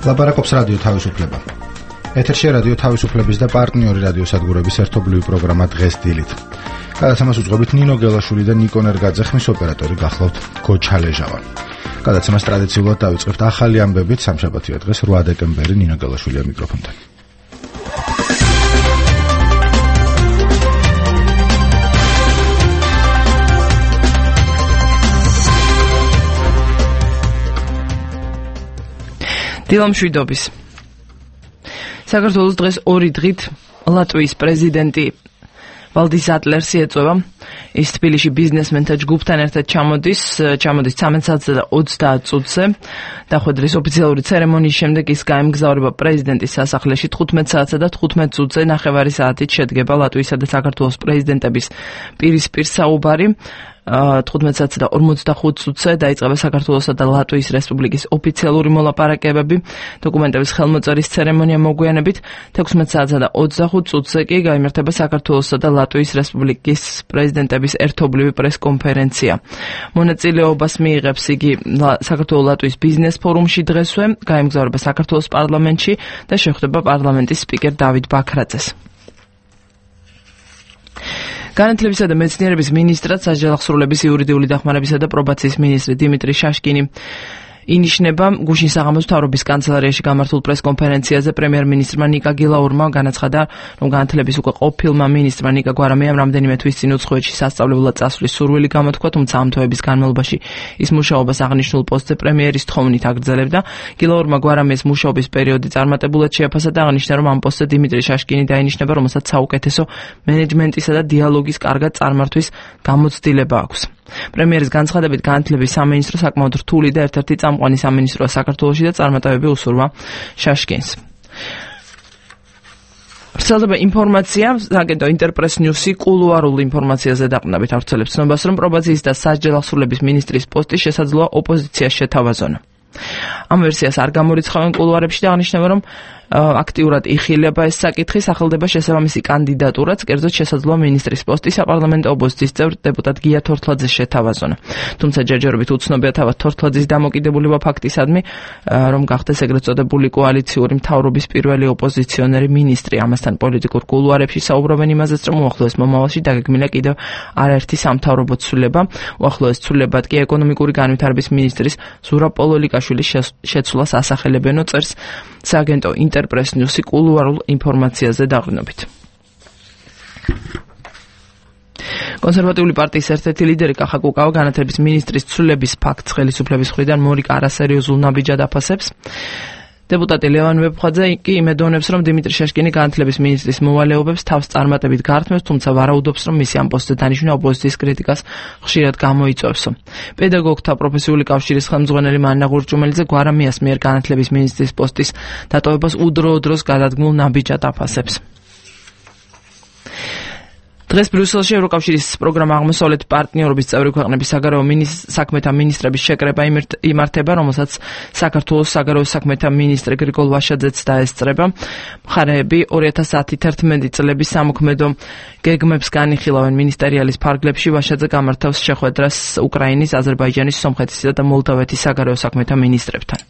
ლაპარაკობს რადიო თავისუფლება. ეთერში რადიო თავისუფლების და პარტნიორი რადიოსადგურების ერთობლივი პროგრამა დღეს დილით. გადაცემას უძღვებით ნინო გელაშვილი და ნიკო ნერგაძე, ხმის ოპერატორი გახლავთ გოჩალეჟავა. გადაცემას ტრადიციულად დავიწყებთ ახალი ამბებით. სამშაბათია დღეს 8 დეკემბერი, ნინო გელაშვილია მიკროფონთან. დილამშვიდობის. საქართველოს დღეს 2 დღით ლატვიის პრეზიდენტი ვალდის ატლერსი ეწევა. ის თბილისში ბიზნესმენთა ჯგუფთან ერთად ჩამოდის 13:30 წუთზე. დახვედრის ოფიციალური ცერემონიის შემდეგ ის გაემგზავრება პრეზიდენტის სასახლეში 15 და 15 წუთზე ნახევარი საათით შედგება ლატვიისა და საქართველოს პრეზიდენტების პირისპირ საუბარი. 15 და 45 წუთზე დაიწყება საქართველოსა და ლატვიის რესპუბლიკის ოფიციალური მოლაპარაკებები. დოკუმენტების ხელმოწერის ცერემონია მოგვიანებით 16 და 25 წუთზე კი გაიმართება საქართველოსა და ლატვიის რესპუბლიკის პრეზიდენტების ერთობლივი პრესკონფერენცია. მონაწილეობას მიიღებს იგი საქართველოს-ლატვიის ბიზნეს ფორუმში დღესვე, გაემგზავრება საქართველოს პარლამენტში და შეხვდება პარლამენტის სპიკერ დავით ბაქრაძეს. განათლებისა და მეცნიერების მინისტრად სასჯელახსრულების იურიდიული დახმარებისა და პრობაციის მინისტრი დიმიტრი შაშკინი ინიშნება. გუშინ საღამოს მთავრობის კანცელარიაში გამართულ პრესკონფერენციაზე პრემიერ-მინისტრმა ნიკა გილაურმა განაცხადა, რომ განათლების უკვე ყოფილმა მინისტრმა ნიკა გვარამიამ რამდენიმე თვის წინ უცხოეთში სასწავლებლად წასვლის სურვილი გამოთქვა, თუმცა ამ თვეების განმავლობაში ის მუშაობას აღნიშნულ პოსტზე პრემიერის თხოვნით აგრძელებდა. გილაურმა გვარამიეს მუშაობის პერიოდი წარმატებულად შეაფასა და აღნიშნა, რომ ამ პოსტზე დიმიტრი შაშკინი დაინიშნება, რომელსაც საუკეთესო მენეჯმენტისა და დიალოგის კარგად წარმართვის გამოცდილება აქვს. პრემიერის განცხადებით განათლების სამინისტრო საკმაოდ რთული და ერთ-ერთი წამყვანი სამინისტროა საქართველოში და წარმატებები უსურვა შაშკინს. ვრცელდება ინფორმაცია, აგენტო ინტერპრეს ნიუსი კულუარულ ინფორმაციაზე დაყრდნობით ავრცელებს ცნობას, რომ პრობაციის და სასჯელახსრულების მინისტრის პოსტი შესაძლოა ოპოზიციას შეთავაზონ. ამ ვერსიას არ გამორიცხავენ კულუარებში და აღნიშნება, რომ აქტიურად იხილება ეს საკითხი, სახელდება შესაბამისი კანდიდატურაც, კერძოდ შესაძლოა მინისტრის პოსტი საპარლამენტო ოპოზიციის წევრ დეპუტატ გია თორთლაძეს შეთავაზონ. თუმცა ჯერჯერობით უცნობია თავად თორთლაძის დამოკიდებულება ფაქტისადმი, რომ გახდეს ეგრეთ წოდებული კოალიციური მთავრობის პირველი ოპოზიციონერი მინისტრი. ამასთან პოლიტიკურ კულუარებში საუბრობენ იმაზეც, რომ უახლოეს მომავალში დაგეგმილია კიდევ არაერთი სამთავრობო ცვლილება. უახლოეს ცვლილებად კი ეკონომიკური განვითარების მინისტრის ზურაბ პოლოლიკაშვილის შეცვლას ასახელებენო, წერს სააგენტო ინტერპრეს ნიუსი კულუარულ ინფორმაციაზე დაყრდნობით. კონსერვატიული პარტიის ერთ-ერთი ლიდერი კახა კუკავა განათლების მინისტრის ცვლილების ფაქტს ხელისუფლების მხრიდან მორიგ არასერიოზულ ნაბიჯად აფასებს. დეპუტატი ლევან ვეფხვაძე კი იმედოვნებს, რომ დიმიტრი შაშკინი განათლების მინისტრის მოვალეობებს თავს წარმატებით გაართმევს, თუმცა ვარაუდობს, რომ მისი ამ პოსტზე დანიშვნა ოპოზიციის კრიტიკას ხშირად გამოიწვევსო. პედაგოგთა პროფესიული კავშირის ხელმძღვანელი მანნა ღურჭუმელიძე გვარამიას მიერ განათლების მინისტრის პოსტის დატოვებას udro-udros გადადგმულ ნაბიჯად აფასებს. დღეს ბრიუსელში ევროკავშირის პროგრამა აღმოსავლეთ პარტნიორობის წევრი ქვეყნების საგარეო საქმეთა მინისტრების შეკრება იმართება, რომელსაც საქართველოს საგარეო საქმეთა მინისტრი გრიგოლ ვაშაძეც დაესწრება. მხარეები 2010-11 წლების სამოქმედო გეგმებს განიხილავენ მინისტერიალის ფარგლებში. ვაშაძე გამართავს შეხვედრას უკრაინის, აზერბაიჯანის, სომხეთისა და მოლდავეთის საგარეო საქმეთა მინისტრებთან.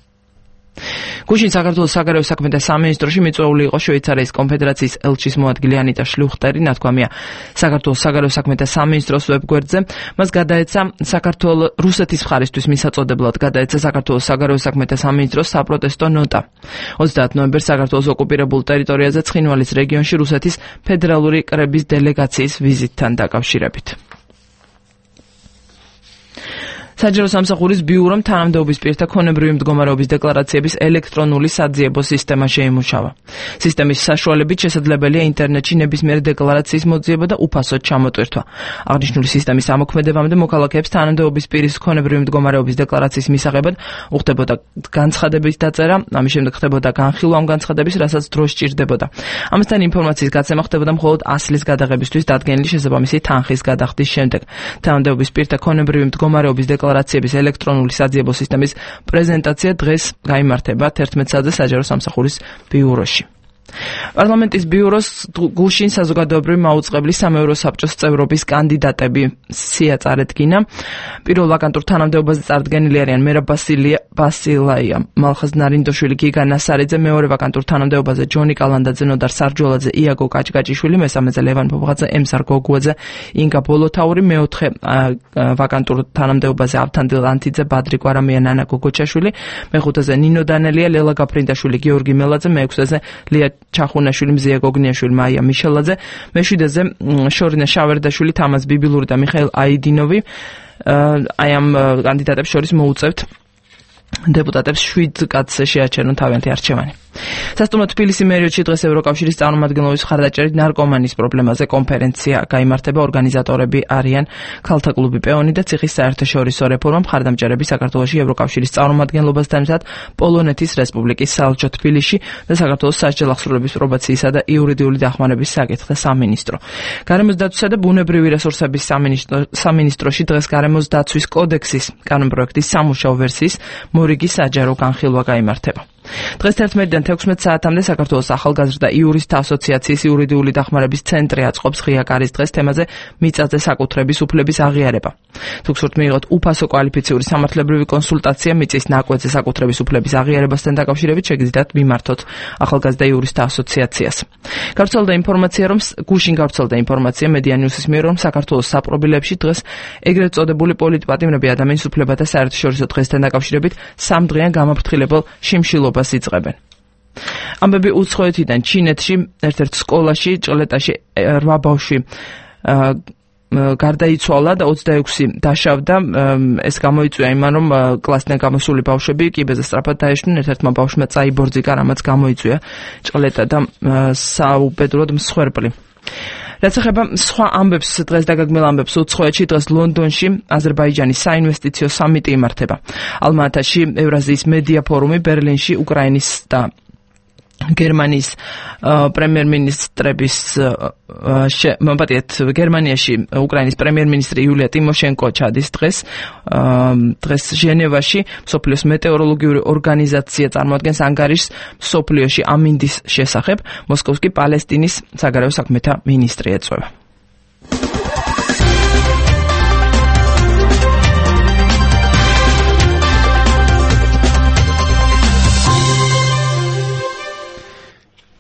გუშინ საქართველოს საგარეო საქმეთა სამინისტროში მიწვეული იყო შვეიცარიის კონფედერაციის ელჩის მოადგილე ანიტა შლუხტერი. ნათქვამია საქართველოს საგარეო საქმეთა სამინისტროს ვებგვერდზე. მას გადაეცა რუსეთის მხარისთვის მისაწოდებლად გადაეცა საქართველოს საგარეო საქმეთა სამინისტროს საპროტესტო ნოტა. 30 ნოემბერს საქართველოს ოკუპირებულ ტერიტორიაზე ცხინვალის რეგიონში რუსეთის ფედერალური კრების დელეგაციის ვიზიტთან დაკავშირებით. საჯარო სამსახურის ბიურომ თანამდებობის პირთა ქონებრივი მდგომარეობის დეკლარაციების ელექტრონული საძიებო სისტემა შეიმუშავა. სისტემის საშუალებით შესაძლებელია ინტერნეტში ნებისმიერი დეკლარაციის მოძიება და უფასოდ ჩამოტვირთვა. აღნიშნული სისტემის ამოქმედებამდე მოქალაქეებს თანამდებობის პირის ქონებრივი მდგომარეობის დეკლარაციის მისაღებად უხდებოდა განცხადების დაწერა, ამის შემდეგ ხდებოდა განხილვა ამ განცხადების, რასაც დრო სჭირდებოდა. ამასთან ინფორმაციის გაცემა ხდებოდა მხოლოდ ასლის გადაღებისთვის დადგენილი შესაბამისი თანხის გადახდის შემდეგ. თანამდებობის პირთა ქონებრივი მდგომარეობის დეკლარაციების ელექტრონული საძიებო სისტემის პრეზენტაცია დღეს გაიმართება 11 საათზე საჯარო სამსახურის ბიუროში. პარლამენტის ბიუროს გუშინ საზოგადოებრივი მაუწყებლის სამეურო საბჭოს წევრობის კანდიდატები სია წარედგინა. პირველ ვაკანტურ თანამდებობაზე წარდგენილი არიან მერაბ ბასილაია, მალხაზ ნარინდოშვილი, გიგა ნასარიძე, მეორე ვაკანტურ თანამდებობაზე ჯონი კალანდაძე, ნოდარ სარჯოლაძე, იაგო კაჭკაჭიშვილი, მესამეზე ლევან ფოფღაძე, ემსარ გოგუაძე, ინგა ბოლოთაური, მეოთხე ვაკანტურ თანამდებობაზე ავთანდილ ანთიძე, ბადრი კვარამია, ნანა გოგოჩაშვილი, მეხუთეზე ნინო დანელია, ლელა გაფრინდაშვილი, გიორგი მელაძე, მეექვსეზე ლია ჩახუნაშვილი, მზია გოგნიაშვილი, მაია მიშელაძე, მეშვიდეზე შორინა შავერდაშვილი, თამაზ ბიბილური და მიხაილ აიდინოვი. აი ამ კანდიდატებს შორის მოუწევთ დეპუტატებს 7 კაცს შეაჩერონ თავიანთი არჩევანი. სასტუმრო თბილისი მერიოდში დღეს ევროკავშირის წარმომადგენლობის მხარდაჭერით ნარკომანის პრობლემაზე კონფერენცია გაიმართება. ორგანიზატორები არიან ქალთა კლუბი პეონი და ციხის საერთაშორისო რეფორმა, მხარდამჭერები საქართველოში ევროკავშირის წარმომადგენლობასთან ერთად პოლონეთის რესპუბლიკის საელჩო თბილისში და საქართველოს სასჯელ ახსრულების პრობაციისა და იურიდიული დახმარების საკითხთა სამინისტრო. გარემოს დაცვისა და ბუნებრივი რესურსების სამინისტროში დღეს გარემოს დაცვის კოდექსის კანონპროექტის სამუშაო ვერსიის მორიგი საჯარო განხილვა გაიმართება. დღეს 11-დან 16 საათამდე საქართველოს ახალგაზრდა იურისტთა ასოციაციის იურიდიული დახმარების ცენტრი აწყობს ღია კარის დღეს თემაზე მიწაზე საკუთრების უფლების აღიარება. თუ გსურთ მიიღოთ უფასო კვალიფიციური სამართლებრივი კონსულტაცია მიწის ნაკვეთზე საკუთრების უფლების აღიარებასთან დაკავშირებით, შეგიძლიათ მიმართოთ ახალგაზრდა იურისტთა ასოციაციას. გუშინ გავრცელდა ინფორმაცია მედია ნიუსის მიერ, რომ საქართველოს საპრობილებში დღეს ეგრეთ წოდებული პოლიტპატიმრები ადამიანის უფლებათა საერთაშორისო დღესთან დაკავშირებით 3 დღიან გამაფრთხილებელ შიმშილობას იწყებენ. ამბები უცხოეთიდან ჩინეთში ერთ-ერთ სკოლაში ჭყლეტაში 8 ბავშვი გარდაიცვალა და 26 დაშავდა. ეს გამოიწვია იმან, რომ კლასიდან გამოსული ბავშვები კიბეზე სწრაფად დაეშვნენ, ერთ-ერთმა ბავშვმა წაიბორძიკა, რამაც გამოიწვია ჭყლეტა და საუბედუროდ მსხვერპლი. რაც ეხება სხვა ამბებს, დღეს დაგაგმილ ამბებს, უცხოეთში დღეს ლონდონში აზერბაიჯანის საინვესტიციო სამიტი იმართება. ალმა-ატაში ევრაზიის მედია ფორუმი, ბერლინში უკრაინის და გერმანიის პრემიერ-მინისტრების გერმანიაში უკრაინის პრემიერ-მინისტრი იულია ტიმოშენკო ჩადის დღეს ჟენევაში მსოფლიოს მეტეოროლოგიური ორგანიზაცია წარმოადგენს ანგარიშს მსოფლიოში ამინდის შესახებ. მოსკოვს კი პალესტინის საგარეო საქმეთა მინისტრი ეწვევა.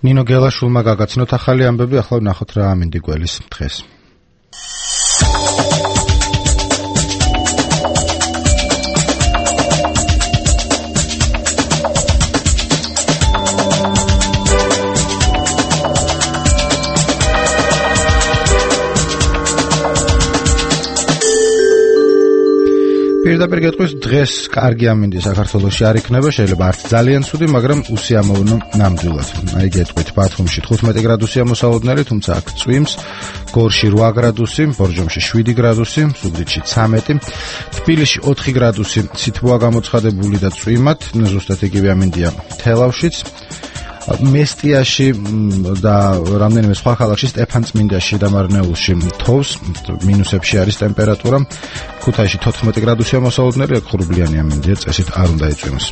ნინო გელაშვილმა გაგაცნოთ ახალი ამბები, ახლა ვნახოთ რა ამინდი გველის დღეს. პირდაპირ გეტყვის დღეს კარგი ამინდი საქართველოში არ იქნება, შეიძლება არც ძალიან ცუდი, მაგრამ უსიამოვნო ნამდვილად. აი გეტყვით, ბათუმში 15 გრადუსია მოსალოდნელი, თუმცა აქ წვიმს, გორში 8 გრადუსი, ბორჯომში 7 გრადუსი, ზუგდიდში 13, თბილისში 4 გრადუსი, სითბოა გამოცხადებული და წვიმად, ზუსტად იგივე ამინდია თელავშიც. მესტიაში და რამდენიმე სხვა ქალაქში, სტეფანწმინდაში და მარნეულში თოვს, მინუსებში არის ტემპერატურა. ქუთაისში 14 გრადუსია მოსალოდნელი, აქ ხურბლიანი ამინდია, წესით არ უნდა იწვიმოს.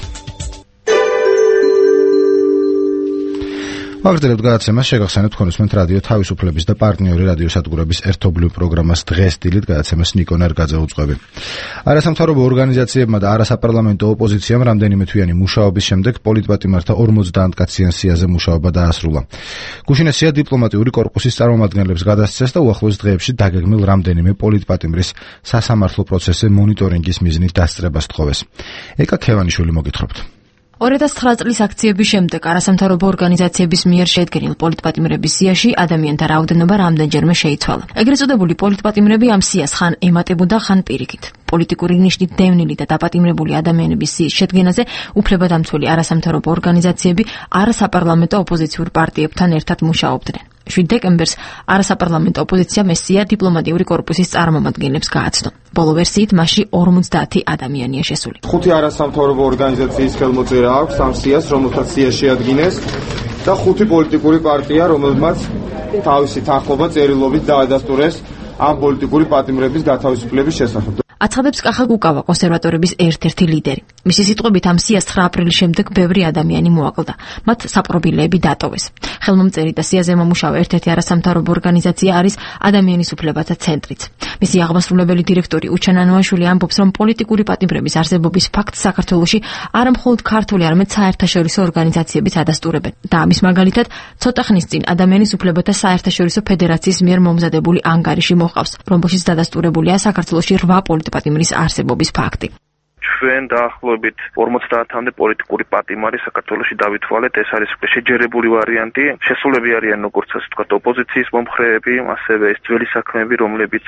ვაგრძელებთ გადაცემას, შეგახსენებთ თქვენისმენთ რადიო თავისუფლების და პარტნიორი რადიოსადგურების ერთობლივ პროგრამას დღეს დილით გადაცემას ნიკო ნერგაძე უძღვები. არასამთავრობო ორგანიზაციებმა და არასაპარლამენტო ოპოზიციამ რამდენიმე თვიანი მუშაობის შემდეგ პოლიტპატიმართა 50 კაციან სიაზე მუშაობა დაასრულა. გუშინ სია დიპლომატიური კორპუსის წარმომადგენლებს გადასცეს და უახლოეს დღეებში დაგეგმილ რამდენიმე პოლიტპატიმრის სასამართლო პროცესზე მონიტორინგის მიზნით დასწრებას თხოვეს. ეკა ქევანიშვილი მოგითხრობთ. 2009 წლის აქციების შემდეგ არასამთავრობო ორგანიზაციების მიერ შედგენილ პოლიტპატიმრების სიაში ადამიანთა რაოდენობა რამდენჯერმე შეიცვალა. ეგრეთ წოდებული პოლიტპატიმრები ამ სიას ხან ემატებოდა, ხან პირიქით. პოლიტიკური ნიშნით დევნილი და დაპატიმრებული ადამიანების სიის შედგენაზე უფლებადამცველი არასამთავრობო ორგანიზაციები არასაპარლამენტო ოპოზიციურ პარტიებთან ერთად მუშაობდნენ. 7 დეკემბერს არასაპარლამენტო ოპოზიციამ ეს სია დიპლომატიური კორპუსის წარმომადგენლებს გააცნო. ბოლო ვერსიით მასში 50 ადამიანია შესული. 5 არასამთავრობო ორგანიზაციის ხელმოწერა აქვს ამ სიას, რომელთაც სია შეადგინეს და 5 პოლიტიკური პარტია, რომელმაც თავისი თანხმობა წერილობით დაადასტურეს ამ პოლიტიკური პატიმრების გათავისუფლების შესახებ. აცხადებს კახა კუკავა, კონსერვატორების ერთ-ერთი ლიდერი. მისი სიტყვებით ამ სიას 9 აპრილის შემდეგ ბევრი ადამიანი მოაკლდა. მათ საპყრობილეები დატოვეს. ხელმომწერი და სიაზე მომუშავე ერთ-ერთი არასამთავრობო ორგანიზაცია არის ადამიანის უფლებათა ცენტრიც. მისი აღმასრულებელი დირექტორი უჩან ანუაშვილი ამბობს, რომ პოლიტიკური პატიმრების არსებობის ფაქტს საქართველოში არა მხოლოდ ქართული, არამედ საერთაშორისო ორგანიზაციებიც ადასტურებენ. და ამის მაგალითად, ცოტა ხნის წინ ადამიანის უფლებათა საერთაშორისო ფედერაციის მიერ მომზადებული ანგარიში მოჰყავს, რომელშიც დადასტურებულია საქართველოში 8 პოლიტპატიმრის არსებობის ფაქტი. ჩვენ დაახლოებით 50-მდე პოლიტიკური პატიმარი საქართველოში დავითვალეთ. ეს არის შეჯერებული ვარიანტი. შესულები არიან როგორც ასე ვთქვათ ოპოზიციის მომხრეები, ასევე ეს ძველი საქმეები, რომლებიც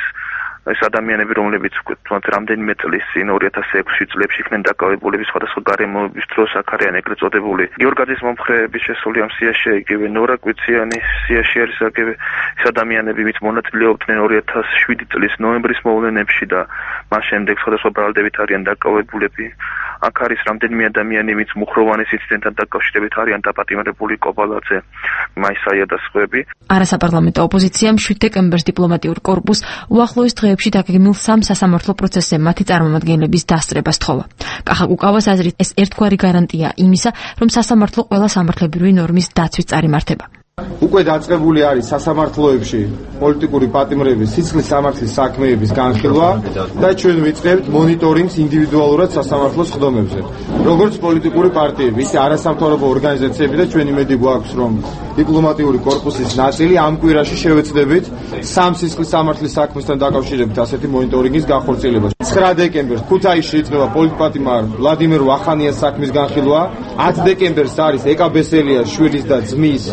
ეს ადამიანები, რომლებიც რამდენიმე წლის წინ 2006 წლებში იქნენ დაკავებულები სხვადასხვა გარემოების დროს, აქ არიან ეგრეთ წოდებული გიორგაძის მომხრეები შესული ამ სიაში, იგივე ნორა კვიციანის სიაში არის აგივე ეს ადამიანები, ვინც მონაწილეობდნენ 2007 წლის ნოემბრის მოვლენებში და მას შემდეგ სხვადასხვა ბრალდებით არიან დაკავებულები. აქ არის რამდენიმე ადამიანი, ვინც მუხროვანის ინციდენტთან დაკავშირებით არიან დაპატიმრებული, კობალაძე, მაისაია და სხვები. არასაპარლამენტო ოპოზიციამ 7 დეკემბერს დიპლომატიურ კორპუსს უახლოეს დღეებში დაგეგმილ 3 სასამართლო პროცესზე მათი წარმომადგენლების დასწრება სთხოვა. კახა კუკავას აზრით, ეს ერთგვარი გარანტია იმისა, რომ სასამართლო ყველა სამართლებრივი ნორმის დაცვით წარიმართება. უკვე დაწყებული არის სასამართლოებში პოლიტიკური პატიმრების სისხლის სამართლის საქმეების განხილვა და ჩვენ ვიწყებთ მონიტორინგს ინდივიდუალურად სასამართლოს ხდომებზე. როგორც პოლიტიკური პარტიები, ისე არასამთავრობო ორგანიზაციები და ჩვენ იმედი გვაქვს, რომ დიპლომატიური კორპუსის ნაწილი ამ კვირაში შევეცდებით 3 სისხლის სამართლის საქმესთან დაკავშირებით ასეთი მონიტორინგის განხორციელებას. 9 დეკემბერს ქუთაისში იწყება პოლიტპატიმარ ვლადიმერ ვახანიას საქმის განხილვა. 10 დეკემბერს არის ეკა ბესელიას შვილის და ძმის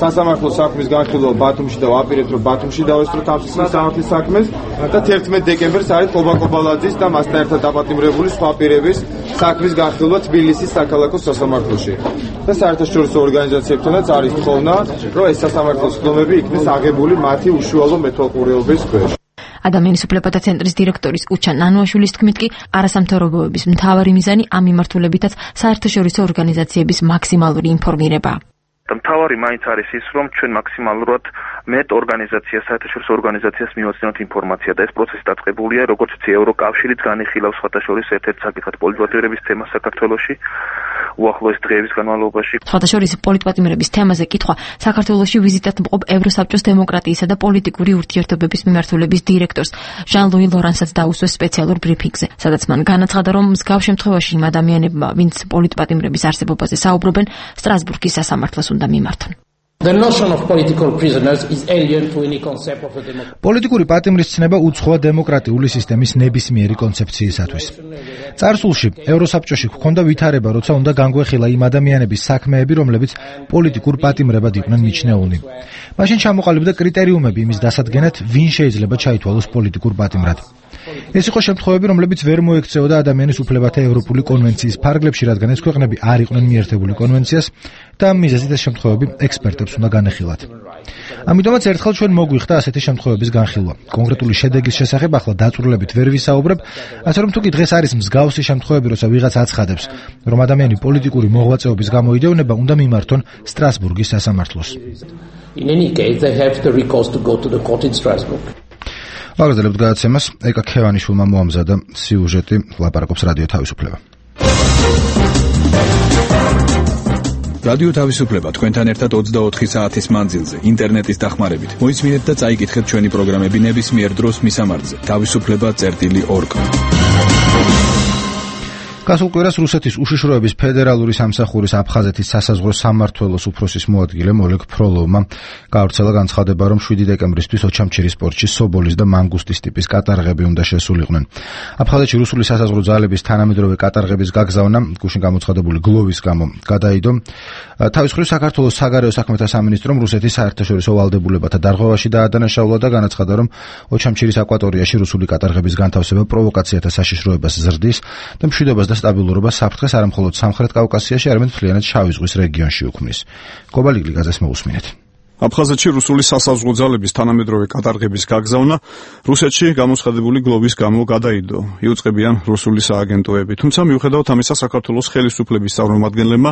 სასამართლო საქმის განხილვა ბათუმში და ვაპირებთ, რომ ბათუმში დავესწროთ ამ სისხლის სამართლის საქმეს და 11 დეკემბერს არის ყობა ყობალაძის და მასთან ერთად დაპატიმრებული სხვა პირების საქმის განხილვა თბილისის საქალაქო სასამართლოში. და საერთაშორისო ორგანიზაციებთანაც არის თხოვნა, რომ ეს სასამართლოს ხდომები იქნეს აღებული მათი უშუალო მეთვალყურეობის ქვეშ. ადამიანის უფლებათა ცენტრის დირექტორის უჩან ანუაშვილის თქმით კი არასამთავრობოების მთავარი მიზანი ამ მიმართულებითაც საერთაშორისო ორგანიზაციების მაქსიმალური ინფორმირებაა. და მთავარი მაინც არის ის, რომ ჩვენ მაქსიმალურად მეტ ორგანიზაციას, საერთაშორისო ორგანიზაციას მივაცნოთ ინფორმაცია და ეს პროცესი დაწყებულია, როგორც იცი, ევროკავშირიც განიხილავს სხვათა შორის ერთ-ერთ საკითხად პოლიტპატიმრების თემას საქართველოში უახლოეს დღეების განმავლობაში. სხვათა შორის პოლიტპატიმრების თემაზე კითხვა საქართველოში ვიზიტად მყოფ ევროსაბჭოს დემოკრატიისა და პოლიტიკური ურთიერთობების მიმართულების დირექტორს ჟან-ლუი ლორანსაც დაუსვეს სპეციალურ ბრიფინგზე, სადაც მან განაცხადა, რომ მსგავს შემთხვევაში იმ ადამიანებმა, ვინც პოლიტპატიმრების არსებობაზე საუბრობენ, სტრასბურგის სასამართლოს უნდა მიმართონ. The notion of political prisoners is alien to any concept of a democracy. პოლიტიკური პატიმრის ცნება უცხოა დემოკრატიული სისტემის ნებისმიერი კონცეფციისათვის. წარსულში ევროსაბჭოში ჰქონდა ვითარება, როცა უნდა განგვეხილა იმ ადამიანების საქმეები, რომლებიც პოლიტიკურ პატიმრებად იყვნენ მიჩნეულნი. მაშინ ჩამოყალიბდა კრიტერიუმები იმის დასადგენად, ვინ შეიძლება ჩაითვალოს პოლიტიკურ პატიმრად. ეს იყო შემთხვევები, რომლებიც ვერ მოექცეოდა ადამიანის უფლებათა ევროპული კონვენციის ფარგლებში, რადგან ეს ქვეყნები არ იყვნენ მიერთებული კონვენციას და ამ მიზეზით ეს შემთხვევები ექსპერტებს უნდა განეხილათ. ამიტომაც ერთხელ ჩვენ მოგვიხდა ასეთი შემთხვევების განხილვა. კონკრეტული შედეგის შესახებ ახლა დაწვრილებით ვერ ვისაუბრებ, ასე რომ თუ კი დღეს არის მსგავსი შემთხვევები, როცა ვიღაც აცხადებს, რომ ადამიანი პოლიტიკური მოღვაწეობის გამო იდევნება, უნდა მიმართონ სტრასბურგის სასამართლოს. In any case, they have the recourse to go to the court in Strasbourg. ვაგრძელებთ გადაცემას. ეკა ქევანიშვილმა მოამზადა სიუჟეტი, ლაპარაკობს რადიო თავისუფლება. რადიო თავისუფლება თქვენთან ერთად 24 საათის მანძილზე ინტერნეტის დახმარებით. მოისმინეთ და წაიკითხეთ ჩვენი პროგრამები ნებისმიერ დროს მისამართზე. თავისუფლება.org. გასულ კვირას რუსეთის უშიშროების ფედერალური სამსახურის აფხაზეთის სასაზღვრო სამმართველოს უფროსის მოადგილემ ოლეგ ფროლოვმა გავრცელა განცხადება, რომ 7 დეკემბრისთვის ოჩამჩირის პორტში სობოლის და მანგუსტის ტიპის კატარღები უნდა შესულიყვნენ. აფხაზეთში რუსული სასაზღვრო ძალების თანამედროვე კატარღების გაგზავნა გუშინ გამოცხადებული გლოვის გამო გადაიდო. თავის მხრივ საქართველოს საგარეო საქმეთა სამინისტრომ რუსეთის საერთაშორისო ვალდებულებათა დარღვევაში დაადანაშაულა და განაცხადა, რომ ოჩამჩირის აკვატორიაში რუსული კატარღების განთავსება პროვოკაციათა საშიშროებას ზრდის და მშვიდობას და სტაბილურობას საფრთხეს არა მხოლოდ სამხრეთ კავკასიაში, არამედ მთლიანად შავი ზღვის რეგიონში უქმნის. კობალიგლი გაზეს მოусმინეთ. აფხაზეთში რუსული სასაზღვრო ძალების თანამედროვე კატარღების გაგზავნა რუსეთში გამოცხადებული გლოვის გამო გადაიდო. იუწყებიან რუსული სააგენტოები. თუმცა მიუხედავად ამისა საქართველოს ხელისუფლების წარმომადგენლებმა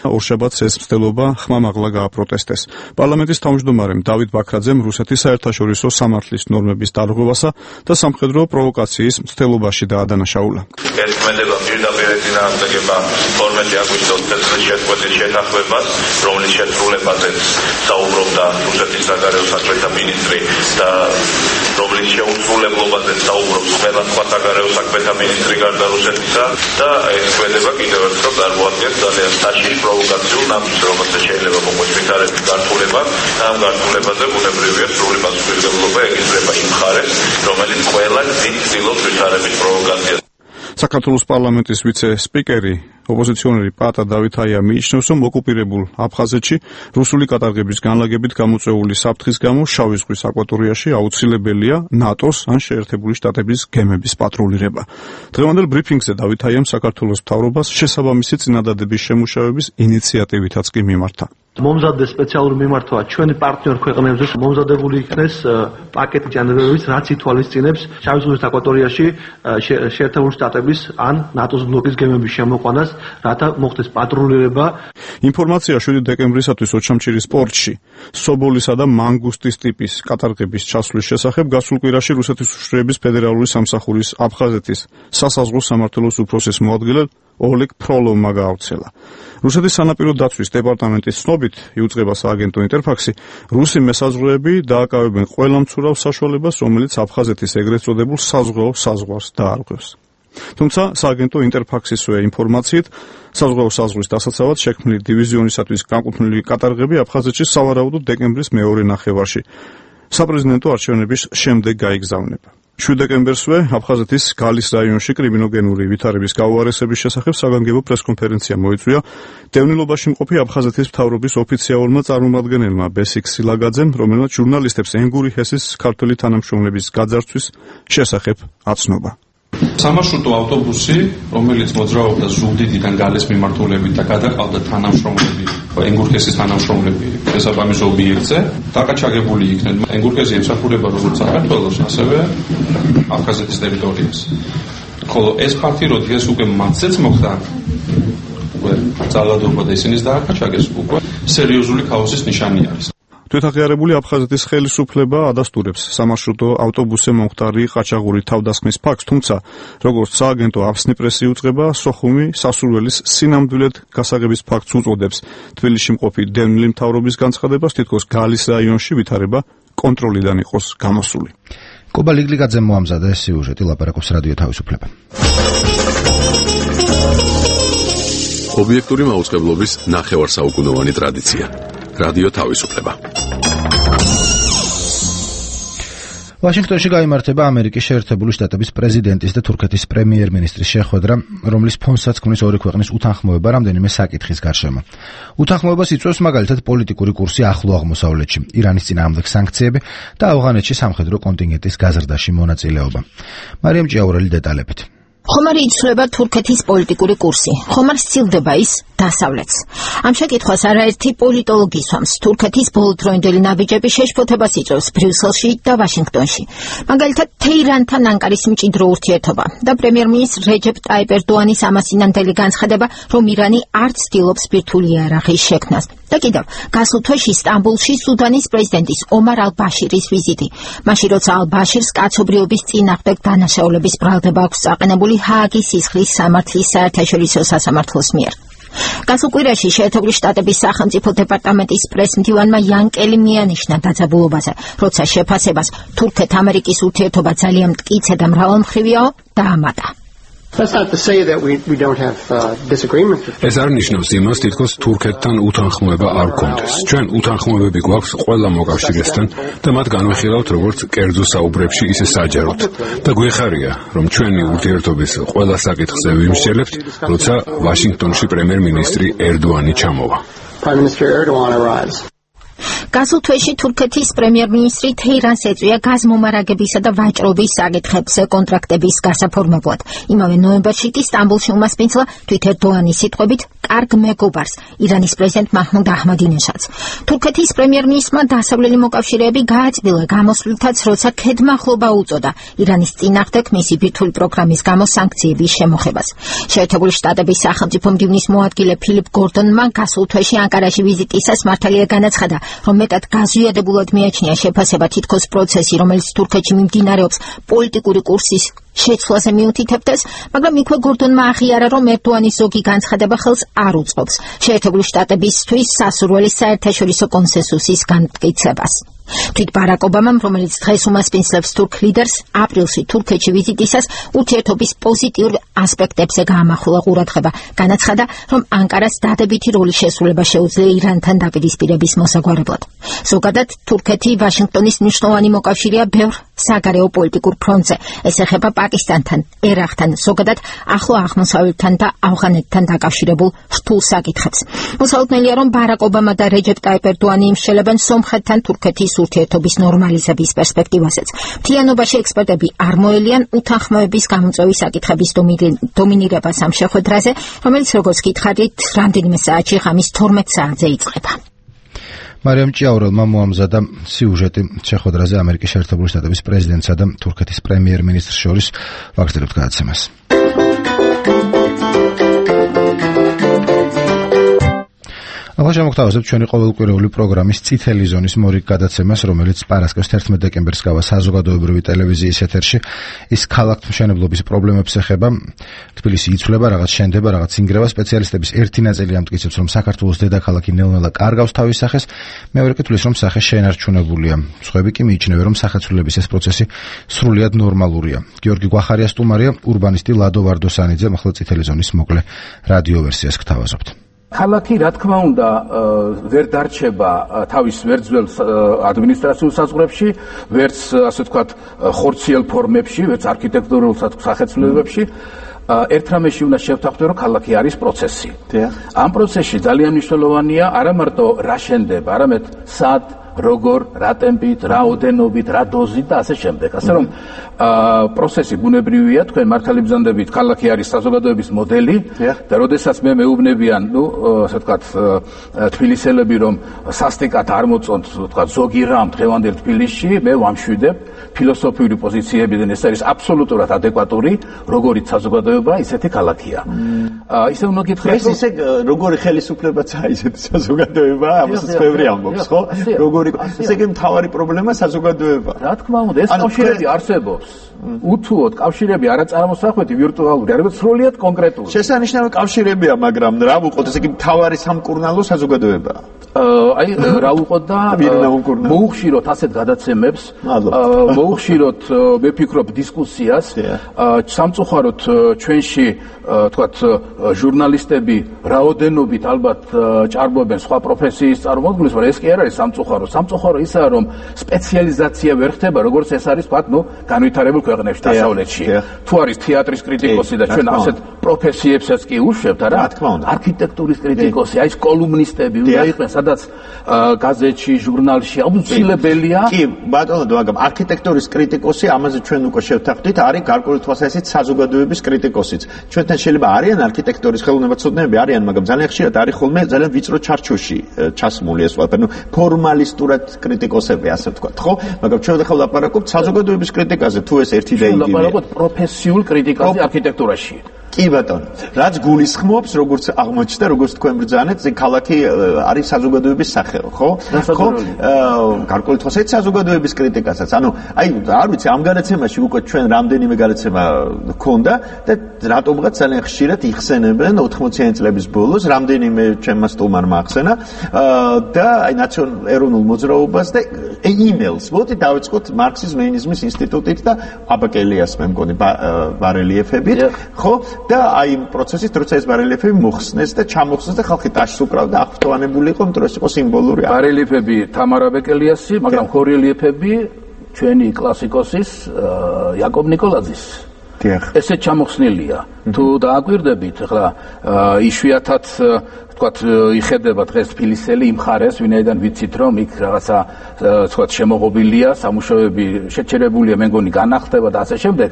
ორშაბათს ეს მცდელობა ხმამაღლა გააპროტესტეს. პარლამენტის თავმჯდომარემ დავით ბაქრაძემ რუსეთის საერთაშორისო სამართლის ნორმების დარღვევასა და სამხედრო პროვოკაციის მცდელობაში დაადანაშაულა. ერთმანეთმა პირდაპირ წინააღმდეგება 12 აგვისტოს წელს შეწყვეტის შეთანხმებას, რომლის შესრულებაზეც საუბრობდა რუსეთის საგარეო საქმეთა მინისტრი და რომლის შეუცვლელობაზეც საუბრობს ყველა სხვა საგარეო საქმეთა მინისტრი გარდა რუსეთისა და ეს ქმედება კიდევ ერთხელ წარმოადგენს ძალიან საშიშ პროვოკაციულ ნაბიჯს, რომელსაც შეიძლება მოყვეს ვითარების გართულება და ამ გართულებაზე ბუნებრივია სრული პასუხისმგებლობა ეკისრება იმ მხარეს, რომელიც ყველა გზით ცდილობს ვითარების პროვოკაციას. საქართველოს პარლამენტის ვიცე-სპიკერი ოპოზიციონერი პატა დავითაია მიიჩნევს, რომ ოკუპირებულ აფხაზეთში რუსული კატარღების განლაგებით გამოწვეული საფრთხის გამო შავი ზღვის აკვატორიაში აუცილებელია ნატოს ან შეერთებული შტატების გემების პატრულირება. დღევანდელ ბრიფინგზე დავითაიამ საქართველოს მთავრობას შესაბამისი წინადადების შემუშავების ინიციატივითაც კი მიმართა. მომზადდეს სპეციალური მიმართვა ჩვენი პარტნიორ ქვეყნებზე მომზადებული იქნეს პაკეტი ჯანმრთელობის, რაც ითვალისწინებს შავი ზღვის აკვატორიაში შეერთებული შტატების ან ნატოს ბლოკის გემების შემოყვანას, რათა მოხდეს პატრულირება. ინფორმაცია 7 დეკემბრისათვის ოჩამჩირის პორტში სობოლისა და მანგუსტის ტიპის კატარღების ჩასვლის შესახებ გასულ კვირაში რუსეთის უშიშროების ფედერალური სამსახურის აფხაზეთის სასაზღვრო სამმართველოს უფროსის მოადგილე ოლეგ ფროლოვმა გაავრცელა. რუსეთის სანაპირო დაცვის დეპარტამენტის ცნობით, იუწყება სააგენტო ინტერფაქსი, რუსი მესაზღვრეები დააკავებენ ყველა მცურავ საშუალებას, რომელიც აფხაზეთის ეგრეთ წოდებულ საზღვაო საზღვარს დაარღვევს. თუმცა სააგენტო ინტერფაქსისვე ინფორმაციით, საზღვაო საზღვრის დასაცავად შექმნილი დივიზიონისათვის განკუთვნილი კატარღები აფხაზეთში სავარაუდოდ დეკემბრის მეორე ნახევარში საპრეზიდენტო არჩევნების შემდეგ გაიგზავნება. 7 დეკემბერსვე აფხაზეთის გალის რაიონში კრიმინოგენური ვითარების გაუარესების შესახებ საგანგებო პრესკონფერენცია მოიწვია დევნილობაში მყოფი აფხაზეთის მთავრობის ოფიციალურმა წარმომადგენელმა ბესიკ სილაგაძემ, რომელმაც ჟურნალისტებს ენგური ჰესის ქართველი თანამშრომლების გაძარცვის შესახებ აცნობა. სამარშრუტო ავტობუსი, რომელიც მოძრაობდა ზუგდიდიდან გალის მიმართულებით და გადაყავდა თანამშრომლები, ენგურჰესის თანამშრომლები შესაბამის ობიექტზე, დაკაჩაგებული იქნენ. ენგურჰესი ემსახურება როგორც საქართველოს, ასევე აფხაზეთის ტერიტორიას. ხოლო ეს ფაქტი, როდესაც უკვე მათზეც მოხდა ძალადობა და ისინი დააკაჩაგეს, უკვე სერიოზული ქაოსის ნიშანი არის. თვითაღიარებული აფხაზეთის ხელისუფლება ადასტურებს სამარშრუტო ავტობუსზე მომხდარი ყაჩაღური თავდასხმის ფაქტს, თუმცა როგორც სააგენტო აფსნი პრესი იუწყება, სოხუმი სასურველის სინამდვილედ გასაღების ფაქტს უწოდებს. თბილისში მყოფი დევნილი მთავრობის განცხადებას, თითქოს გალის რაიონში ვითარება კონტროლიდან იყოს გამოსული. კობა ლიგლიგაძემ მოამზადა ეს სიუჟეტი, ლაპარაკობს რადიო თავისუფლება. ობიექტური მაუწყებლობის ნახევარსაუკუნოვანი ტრადიცია. რადიო თავისუფლება. ვაშინგტონში გაიმართება ამერიკის შეერთებული შტატების პრეზიდენტის და თურქეთის პრემიერ-მინისტრის შეხვედრა, რომლის ფონსაც ქმნის ორი ქვეყნის უთანხმოება რამდენიმე საკითხის გარშემო. უთანხმოებას იწვევს მაგალითად პოლიტიკური კურსი ახლო აღმოსავლეთში, ირანის წინააღმდეგ სანქციები და ავღანეთში სამხედრო კონტინგენტის გაზრდაში მონაწილეობა. მარიამ ჭიაურელი დეტალებით. ხომ არ იცვლება თურქეთის პოლიტიკური კურსი, ხომ არ სცილდება ის დასავლეთს. ამ შეკითხვას არაერთი პოლიტოლოგი ისვამს. თურქეთის ბოლოდროინდელი ნაბიჯები შეშფოთებას იწვევს ბრიუსელში და ვაშინგტონში. მაგალითად, თეირანთან ანკარის მჭიდრო ურთიერთობა და პრემიერ-მინისტრ რეჯეპ ტაიპ ერდოანის ამასინანდელი განცხადება, რომ ირანი არ ცდილობს ბირთვული იარაღის შექმნას. და კიდევ, გასულ თვეში სტამბოლში სუდანის პრეზიდენტის ომარ ალ-ბაშირის ვიზიტი. მაშინ როცა ალ-ბაშირს კაცობრიობის წინააღმდეგ დანაშაულების ბრალდება აქვს წაყენებული ჰააგის სისხლის სამართლის საერთაშორისო სასამართლოს მიერ. გასულ კვირაში შეერთებული შტატების სახელმწიფო დეპარტამენტის პრესმდივანმა იანკელი მიანიშნა დაძაბულობაზე, როცა შეფასებას თურქეთ-ამერიკის ურთიერთობა ძალიან მტკიცე და მრავალმხრივიაო დაამატა. ეს არ ნიშნავს იმას, თითქოს თურქეთთან უთანხმოება არ გქონდეს. ჩვენ უთანხმოებები გვაქვს ყველა მოკავშირესთან და მათ განვიხილავთ როგორც კერძო საუბრებში, ისე საჯაროდ. და გვეხარია, რომ ჩვენი ურთიერთობის ყველა საკითხზე ვიმსჯელებთ, როცა ვაშინგტონში პრემიერ-მინისტრი ერდოანი ჩამოვა. გასულ თვეში თურქეთის პრემიერ-მინისტრი თეირანს ეწვია გაზმომარაგებისა და ვაჭრობის საკითხებზე კონტრაქტების გასაფორმებლად. იმავე ნოემბერში კი სტამბოლში უმასპინძლა თვით ერდოანის სიტყვებით კარგ მეგობარს ირანის პრეზიდენტ მაჰმუდ აჰმადინეჟადს. თურქეთის პრემიერ-მინისტრმა დასავლელი მოკავშირეები გააწმილა გამოსვლითაც, როცა ქედმახლობა უწოდა ირანის წინააღმდეგ მისი ბირთვული პროგრამის გამო სანქციების შემოხებას. შეერთებული შტატების სახელმწიფო მდივნის მოადგილე ფილიპ გორდონმა გასულ თვეში ანკარაში ვიზიტისას მართალია განაცხადა, რომ მეტად გაზვიადებულად მიაჩნია შეფასება თითქოს პროცესი, რომელიც თურქეთში მიმდინარეობს პოლიტიკური კურსის შეცვლაზე მიუთითებდეს, მაგრამ იქვე გორდონმა აღიარა, რომ ერდოანის ზოგი განცხადება ხელს არ უწყობს შეერთებული შტატებისთვის სასურველი საერთაშორისო კონსენსუსის განმტკიცებას. თვით ბარაკ ობამამ, რომელიც დღეს უმასპინძლებს თურქ ლიდერს, აპრილში თურქეთში ვიზიტისას ურთიერთობის პოზიტიურ ასპექტებზე გაამახვილა ყურადღება. განაცხადა, რომ ანკარას დადებითი როლის შესრულება შეუძლია ირანთან დაპირისპირების მოსაგვარებლად. ზოგადად, თურქეთი ვაშინგტონის მნიშვნელოვანი მოკავშირეა ბევრ საგარეო პოლიტიკურ ფრონტზე. ეს ეხება პაკისტანთან, ერაყთან, ზოგადად ახლო აღმოსავლეთთან და ავღანეთთან დაკავშირებულ რთულ საკითხებს. მოსალოდნელია, რომ ბარაკ ობამა და რეჯეპ ტაიპ ერდოანი იმშელებენ სომხეთთან თურქეთის ურთიერთობის ნორმალიზების პერსპექტივაზეც. მთლიანობაში ექსპერტები არ მოელიან უთანხმოების გამოწვევის საკითხების დომინირებას ამ შეხვედრაზე, რომელიც როგორც გითხარით, რამდენიმე საათში ღამის 12 საათზე იწყება. მარიამ ჭიაურელმა მოამზადა სიუჟეტი შეხვედრაზე ამერიკის შეერთებული შტატების პრეზიდენტსა და თურქეთის პრემიერ-მინისტრს შორის. ვაგრძელებთ გადაცემას. ახლა შემოგთავაზებთ ჩვენი ყოველკვირეული პროგრამის წითელი ზონის მორიგ გადაცემას, რომელიც პარასკევს 11 დეკემბერს გავა საზოგადოებრივი ტელევიზიის ეთერში. ის ქალაქთმშენებლობის პრობლემებს ეხება. თბილისი იცვლება, რაღაც შენდება, რაღაც ინგრევა. სპეციალისტების ერთი ნაწილი ამტკიცებს, რომ საქართველოს დედაქალაქი ნელ-ნელა კარგავს თავის სახეს, მეორე კი თვლის, რომ სახე შენარჩუნებულია. სხვები კი მიიჩნევენ, რომ სახეცვლილების ეს პროცესი სრულიად ნორმალურია. გიორგი გვახარია სტუმარია, ურბანისტი ლადო ვარდოსანიძე. ახლა წითელი ზონის მოკლე რადიო ვერსიას გთავაზობთ. ქალაქი, რა თქმა უნდა, ვერ დარჩება თავის ვერძველ ადმინისტრაციულ საზღვრებში, ვერც ასე ვთქვათ ხორციელ ფორმებში, ვერც არქიტექტურულ სახეცვლილებებში. ერთ რამეში უნდა შევთანხმდეთ, რომ ქალაქი არის პროცესი. ამ პროცესში ძალიან მნიშვნელოვანია არა მარტო რა შენდება, არამედ სად, როგორ, რა ტემპით, რა ოდენობით, რა დოზით და ასე შემდეგ. ასე რომ პროცესი ბუნებრივია, თქვენ მართალი ბრძანდებით, ქალაქი არის საზოგადოების მოდელი და როდესაც მე მეუბნებიან, ასე ვთქვათ, თბილისელები, რომ სასტიკად არ მოწონთ, ვთქვათ, ზოგი რამ დღევანდელ თბილისში, მე ვამშვიდებ ფილოსოფიური პოზიციებიდან, ეს არის აბსოლუტურად ადეკვატური, როგორიც საზოგადოება, ისეთი ქალაქია. ისე უნდა გითხრათ, ეს ისე როგორი ხელისუფლებაა ისეთი საზოგადოება, ამასაც ბევრი ამბობს, ხო? ესე იგი მთავარი პრობლემა საზოგადოება. რა თქმა უნდა, ეს კავშირები არსებობს. უთუოდ კავშირები არა წარმოსახვეთი ვირტუალური, არამედ სრულიად კონკრეტული. შესანიშნავი კავშირებია, მაგრამ რა ვუყოთ, ესე იგი მთავარი სამკურნალო საზოგადოებაა. აი რა ვუყოთ და მოუხშიროთ ასეთ გადაცემებს, მოუხშიროთ, მე ვფიქრობ, დისკუსიას, სამწუხაროდ ჩვენში, თქვათ, ჟურნალისტები რაოდენობით ალბათ ჭარბობენ სხვა პროფესიის წარმოადგენს, მაგრამ ეს კი არ არის სამწუხარო. სამწუხარო ისაა, რომ სპეციალიზაცია ვერ ხდება, როგორც ეს არის, თქვათ, განვითარებულ ქვეყნებში დასავლეთში. თუ არის თეატრის კრიტიკოსი და ჩვენ ასეთ პროფესიებსაც კი უშვებთ, არა? არქიტექტურის კრიტიკოსი, აი ეს კოლუმნისტები უნდა იყვნენ, სადაც გაზეთში, ჟურნალში აუცილებელია. კი, ბატონო, მაგრამ არქიტექტურის კრიტიკოსი, ამაზე ჩვენ უკვე შევთანხმდით, არის გარკვეული თვალსაზრისით საზოგადოების კრიტიკოსიც. ჩვენთან შეიძლება არიან არქიტექტურის ხელოვნებაცოდნეები, არიან, მაგრამ ძალიან ხშირად არის ხოლმე ძალიან ვიწრო ჩარჩოში ჩასმული ეს ყველაფერი. ფორმალისტურად კრიტიკოსები, ასე ვთქვათ, ხო? მაგრამ ჩვენ ახლა ვლაპარაკობთ საზოგადოების კრიტიკაზე, თუ ეს ერთი და იგივეა. ვლაპარაკობთ პროფესიულ კრიტიკაზე არქიტექტურაში. კი ბატონო, რაც გულისხმობს, როგორც აღმოჩნდა, როგორც თქვენ ბრძანეთ, ქალაქი არის საზოგადოების სახეო, ხო? ხო? გარკვეული თვალსაზრისით საზოგადოების კრიტიკასაც. ანუ, აი, არ ვიცი, ამ გადაცემაში უკვე ჩვენ რამდენიმე გადაცემა გქონდა და რატომღაც ძალიან ხშირად იხსენებენ 80-იანი წლების ბოლოს, რამდენიმე ჩემმა სტუმარმა ახსენა და აი ეროვნულ მოძრაობას და emails. მოდი დავიწყოთ მარქსიზმ-ლენინიზმის ინსტიტუტით და აბაკელიას მე მგონი ბარელიეფებით, ხო? და აი იმ პროცესით, როცა ეს ბარელიეფები მოხსნეს და ჩამოხსნეს და ხალხი ტაშს უკრავდა, აღფრთოვანებული იყო, იმიტომ რომ ეს იყო სიმბოლური. ბარელიეფები თამარ აბაკელიასი, მაგრამ ქორელიეფები ჩვენი კლასიკოსის იაკობ ნიკოლაძის. ესე ჩამოხსნილია. თუ დააკვირდებით, ახლა იშვიათად თქვათ იხედება დღეს თბილისელი იმ ხარეს, ვინაიდან ვიცით რომ იქ რაღაცა თქვათ შემოღობილია, სამუშაოები შეჩერებულია, მე მგონი განახდება და ასე შემდეგ.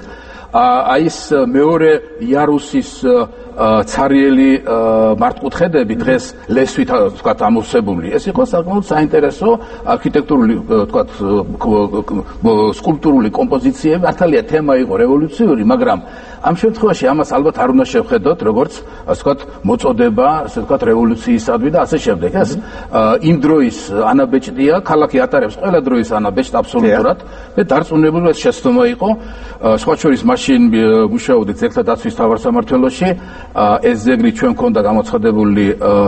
აი ეს მეორე იარუსის ცარიელი მართკუთხედები დღეს ლესვით თქვათ ამოვსებული. ეს იყო საკმაოდ საინტერესო არქიტექტურული თქვათ სკულპტურული კომპოზიციები, მართალია თემა იყო რევოლუციური, მაგრამ ამ შემთხვევაში ამას ალბათ არ უნდა შევხედოთ როგორც ასე ვთქვათ მოწოდება, ასე ვთქვათ რევოლუციისადმი და ასე შემდეგ. ეს იმ დროის ანაბეჭდია, ქალაქი ატარებს ყველა დროის ანაბეჭდს აბსოლუტურად. მე დარწმუნებული ეს შეცდომა იყო, სხვა შორის მაშინ მუშაობდი ძეგლთა დაცვის მთავარსამმართველოში, ეს ძეგლი ჩვენ ქონდა გამოცხადებული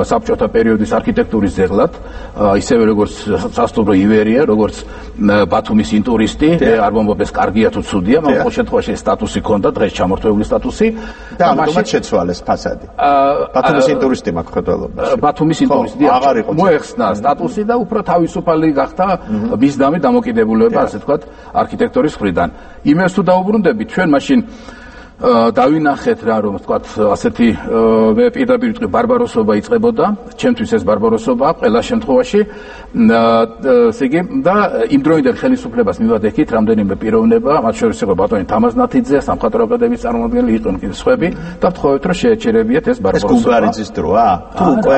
საბჭოთა პერიოდის არქიტექტურის ძეგლად, ისევე როგორც სასტუმრო ივერია, როგორც ბათუმის ინტურისტი, არ მომბობ ეს კარგია თუ ცუდია, მაგრამ ყოველ შემთხვევაში სტატუსი ქონდა, დღეს ჩამორთმეული სტატუსი და ამიტომაც შეცვალეს ფასადი. ბათუმის ინტურისტი მაქროდელობაში. ბათუმის ინტურისტი მოეხსნა სტატუსი და უფრო თავისუფალი გახდა მისდამი დამოკიდებულება, ასე ვთქვათ, არქიტექტორის მხრიდან. იმას თუ დაუბრუნდებით, ჩვენ მაშინ დავინახეთ რა რომ ვთქვათ ასეთი მე პირდაპირ ვიტყვი ბარბაროსობა იწყებოდა, ჩემთვის ეს ბარბაროსობა ყველა შემთხვევაში ესე იგი და იმ დროიდან ხელისუფლებას მივადექით რამდენიმე პიროვნება, მათ შორის იყო ბატონი თამაზნათიძე, სამხატვრო აკადემიის წარმომადგენელი, იყვნენ კიდევ სხვები და ვთხოვეთ რომ შეეჩერებიათ ეს ბარბაროსობა. ეს გუბარიძის დროა? თუ უკვე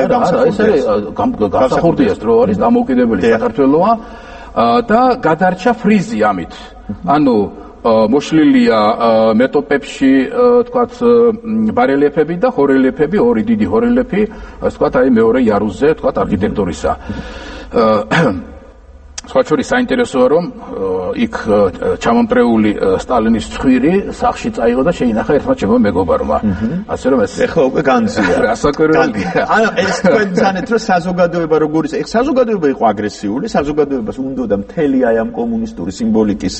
გამსახურდია ეს დრო არის, დამოუკიდებელი საქართველოა და გადარჩა ფრიზი ამით. ანუ მოშლილია მეტოპებში თქვათ ბარელიეფები და ჰორელიეფები, ორი დიდი ჰორელიეფი, ასე ვთქვათ, აი მეორე იარუსზე, თქვათ, არქიტექტურისა. სხვა შორის საინტერესოა რომ იქ ჩამომტრეული სტალინის ცხვირი სახში წაიღო და შეინახა ერთმა ჩემმა მეგობარმა. ასე რომ ეს ეხლა უკვე განძია. რასაკვირველია. ანუ ეს თქვენ ძანეთ რომ საზოგადოება როგორ ის საზოგადოება იყო აგრესიული, საზოგადოებას უნდოდა მთელი აი ამ კომუნისტური სიმბოლიკის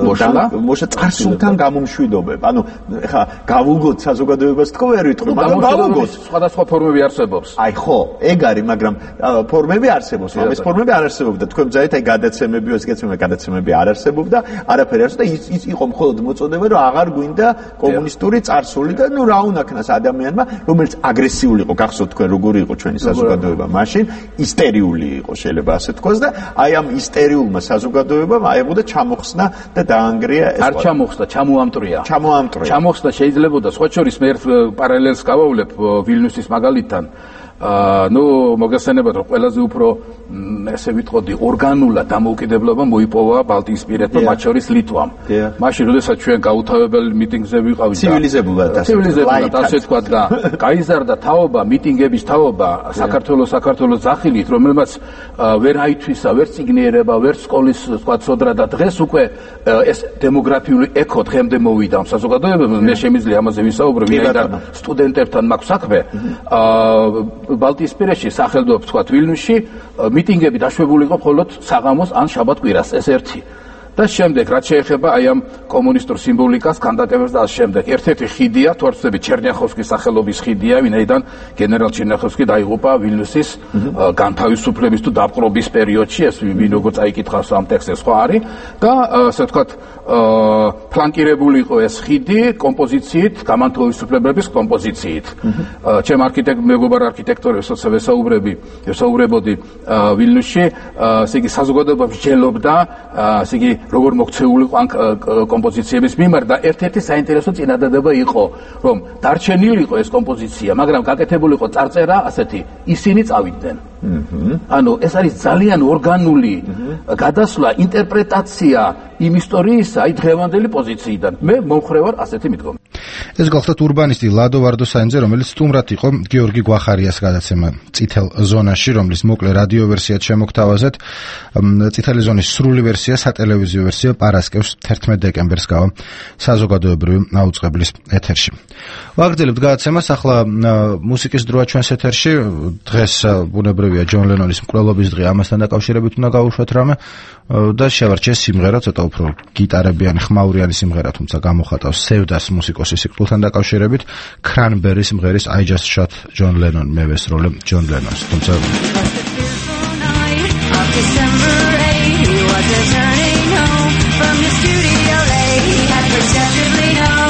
მოშლა წარსულთან გამომშვიდობება. ანუ ეხლა გავუგოთ საზოგადოებას თქო ვერ ვიტყვი, მაგრამ გავუგოთ სხვადასხვა ფორმები არსებობს. აი ხო, ეგ არის, მაგრამ ფორმები არსებობს, მაგრამ ეს ფორმები არ არსებობდა. თქვენ აი გადაცემები, გადაცემები არ არსებობდა, არაფერი არ არსებობდა, ის იყო მხოლოდ მოწოდება, რომ აღარ გვინდა კომუნისტური წარსული და ნუ რა უნაქნას ადამიანმა, რომელიც აგრესიული იყო, გახსოვთ თქვენ როგორი იყო ჩვენი საზოგადოება მაშინ, ისტერიული იყო შეიძლება ასე თქვას და აი ამ ისტერიულმა საზოგადოებამ აიღო და ჩამოხსნა და დაანგრია ეს. არ ჩამოხსნა, ჩამოამტრია. ჩამოამტრია შეიძლებოდა სხვა შორის მე ერთ პარალელს გავავლებ ვილნიუსის მაგალითთან. ნუ მოგესწრებათ რომ ყველაზე უფრო ესე ვიტყოდი ორგანულად დამოუკიდებლობა მოიპოვა ბალტიისპირეთმა, მათ შორის ლიტვამ. მაშინ როდესაც ჩვენ გაუთავებელი მიტინგზე ვიყავით და ცივილიზებულად ასე თქვა და გაიზარდა თაობა, მიტინგების თაობა საქართველოს ძახილით, რომელმაც ვერ აითვისა, ვერ ციგნიერება, ვერ სკოლის თქვა სოდრა და დღეს უკვე ეს დემოგრაფიული ეკო დღემდე მოვიდა საზოგადოებამ. მე შემიძლია ამაზე ვისაუბრო, ვინაიდან სტუდენტებთან მაქვს საქმე. ბალტიისპირეთში სახელმწიფო თქვა ვილნიუსში მიტინგები დაშვებული იყო მხოლოდ საღამოს ან შაბათ-კვირას, ეს ერთი. და შემდეგ რაც შეეხება აი ამ კომუნისტურ სიმბოლიკას, ქანდაკებებს და ამ შემდეგ ერთ-ერთი ხიდია, თუ არ ვცდები, ჩერნიახოვსკის სახელობის ხიდია, ვინაიდან გენერალ ჩერნიახოვსკი დაიღუპა ვილნიუსის განთავისუფლების თუ დაპყრობის პერიოდში, ეს ვინ როგორ წაიკითხავს ამ ტექსტზე სხვა არის და ასე ვთქვათ ფლანკირებული იყო ეს ხიდი კომპოზიციით, გამანთავისუფლებების კომპოზიციით. ჩემ მეგობარ არქიტექტორებს ვესაუბრებოდი ვილნიუსში, ესე იგი საზოგადოება მსჯელობდა, ასე იგი როგორ მოქცეული იყო ამ კომპოზიციების მიმართ და ერთ-ერთი საინტერესო წინადადება იყო, რომ დარჩენილი იყო ეს კომპოზიცია, მაგრამ გაკეთებული იყო წარწერა ასეთი, ისინი წავიდნენ. ანუ ეს არის ძალიან ორგანული გადასვლა, ინტერპრეტაცია იმ ისტორიისა, აი დღევანდელი პოზიციიდან. მე მომხრე ვარ ასეთი მიდგომით. ეს გახლავთ ურბანისტი ლადო ვარდოსაინძე, რომელიც სტუმრად იყო გიორგი გვახარიას გადაცემა წითელ ზონაში, რომლის მოკლე რადიო ვერსიაც შემოგთავაზეთ. წითელი ზონის სრული ვერსია, სატელევიზიო ვერსია პარასკევს 11 დეკემბერს გავა საზოგადოებრივი აუწყებლის ეთერში. ვაგრძელებთ გადაცემას, ახლა მუსიკის დროა ჩვენს ეთერში. დღეს ბუნებრივია ჯონ ლენონის მკვლელობის დღე, ამასთან დაკავშირებით უნდა გავუშვათ რამე და შევარჩიეს სიმღერა, ცოტა უფრო გიტარებიანი, ხმაურიანი სიმღერა, თუმცა გამოხატავს სევდას მუსიკოსის სიკვდილთან დაკავშირებით, კრანბერის სიმღერის I Just Shot John Lennon, მე ვესროლე ჯონ ლენონს, თუმცა Turning home from the studio late, I perceptively know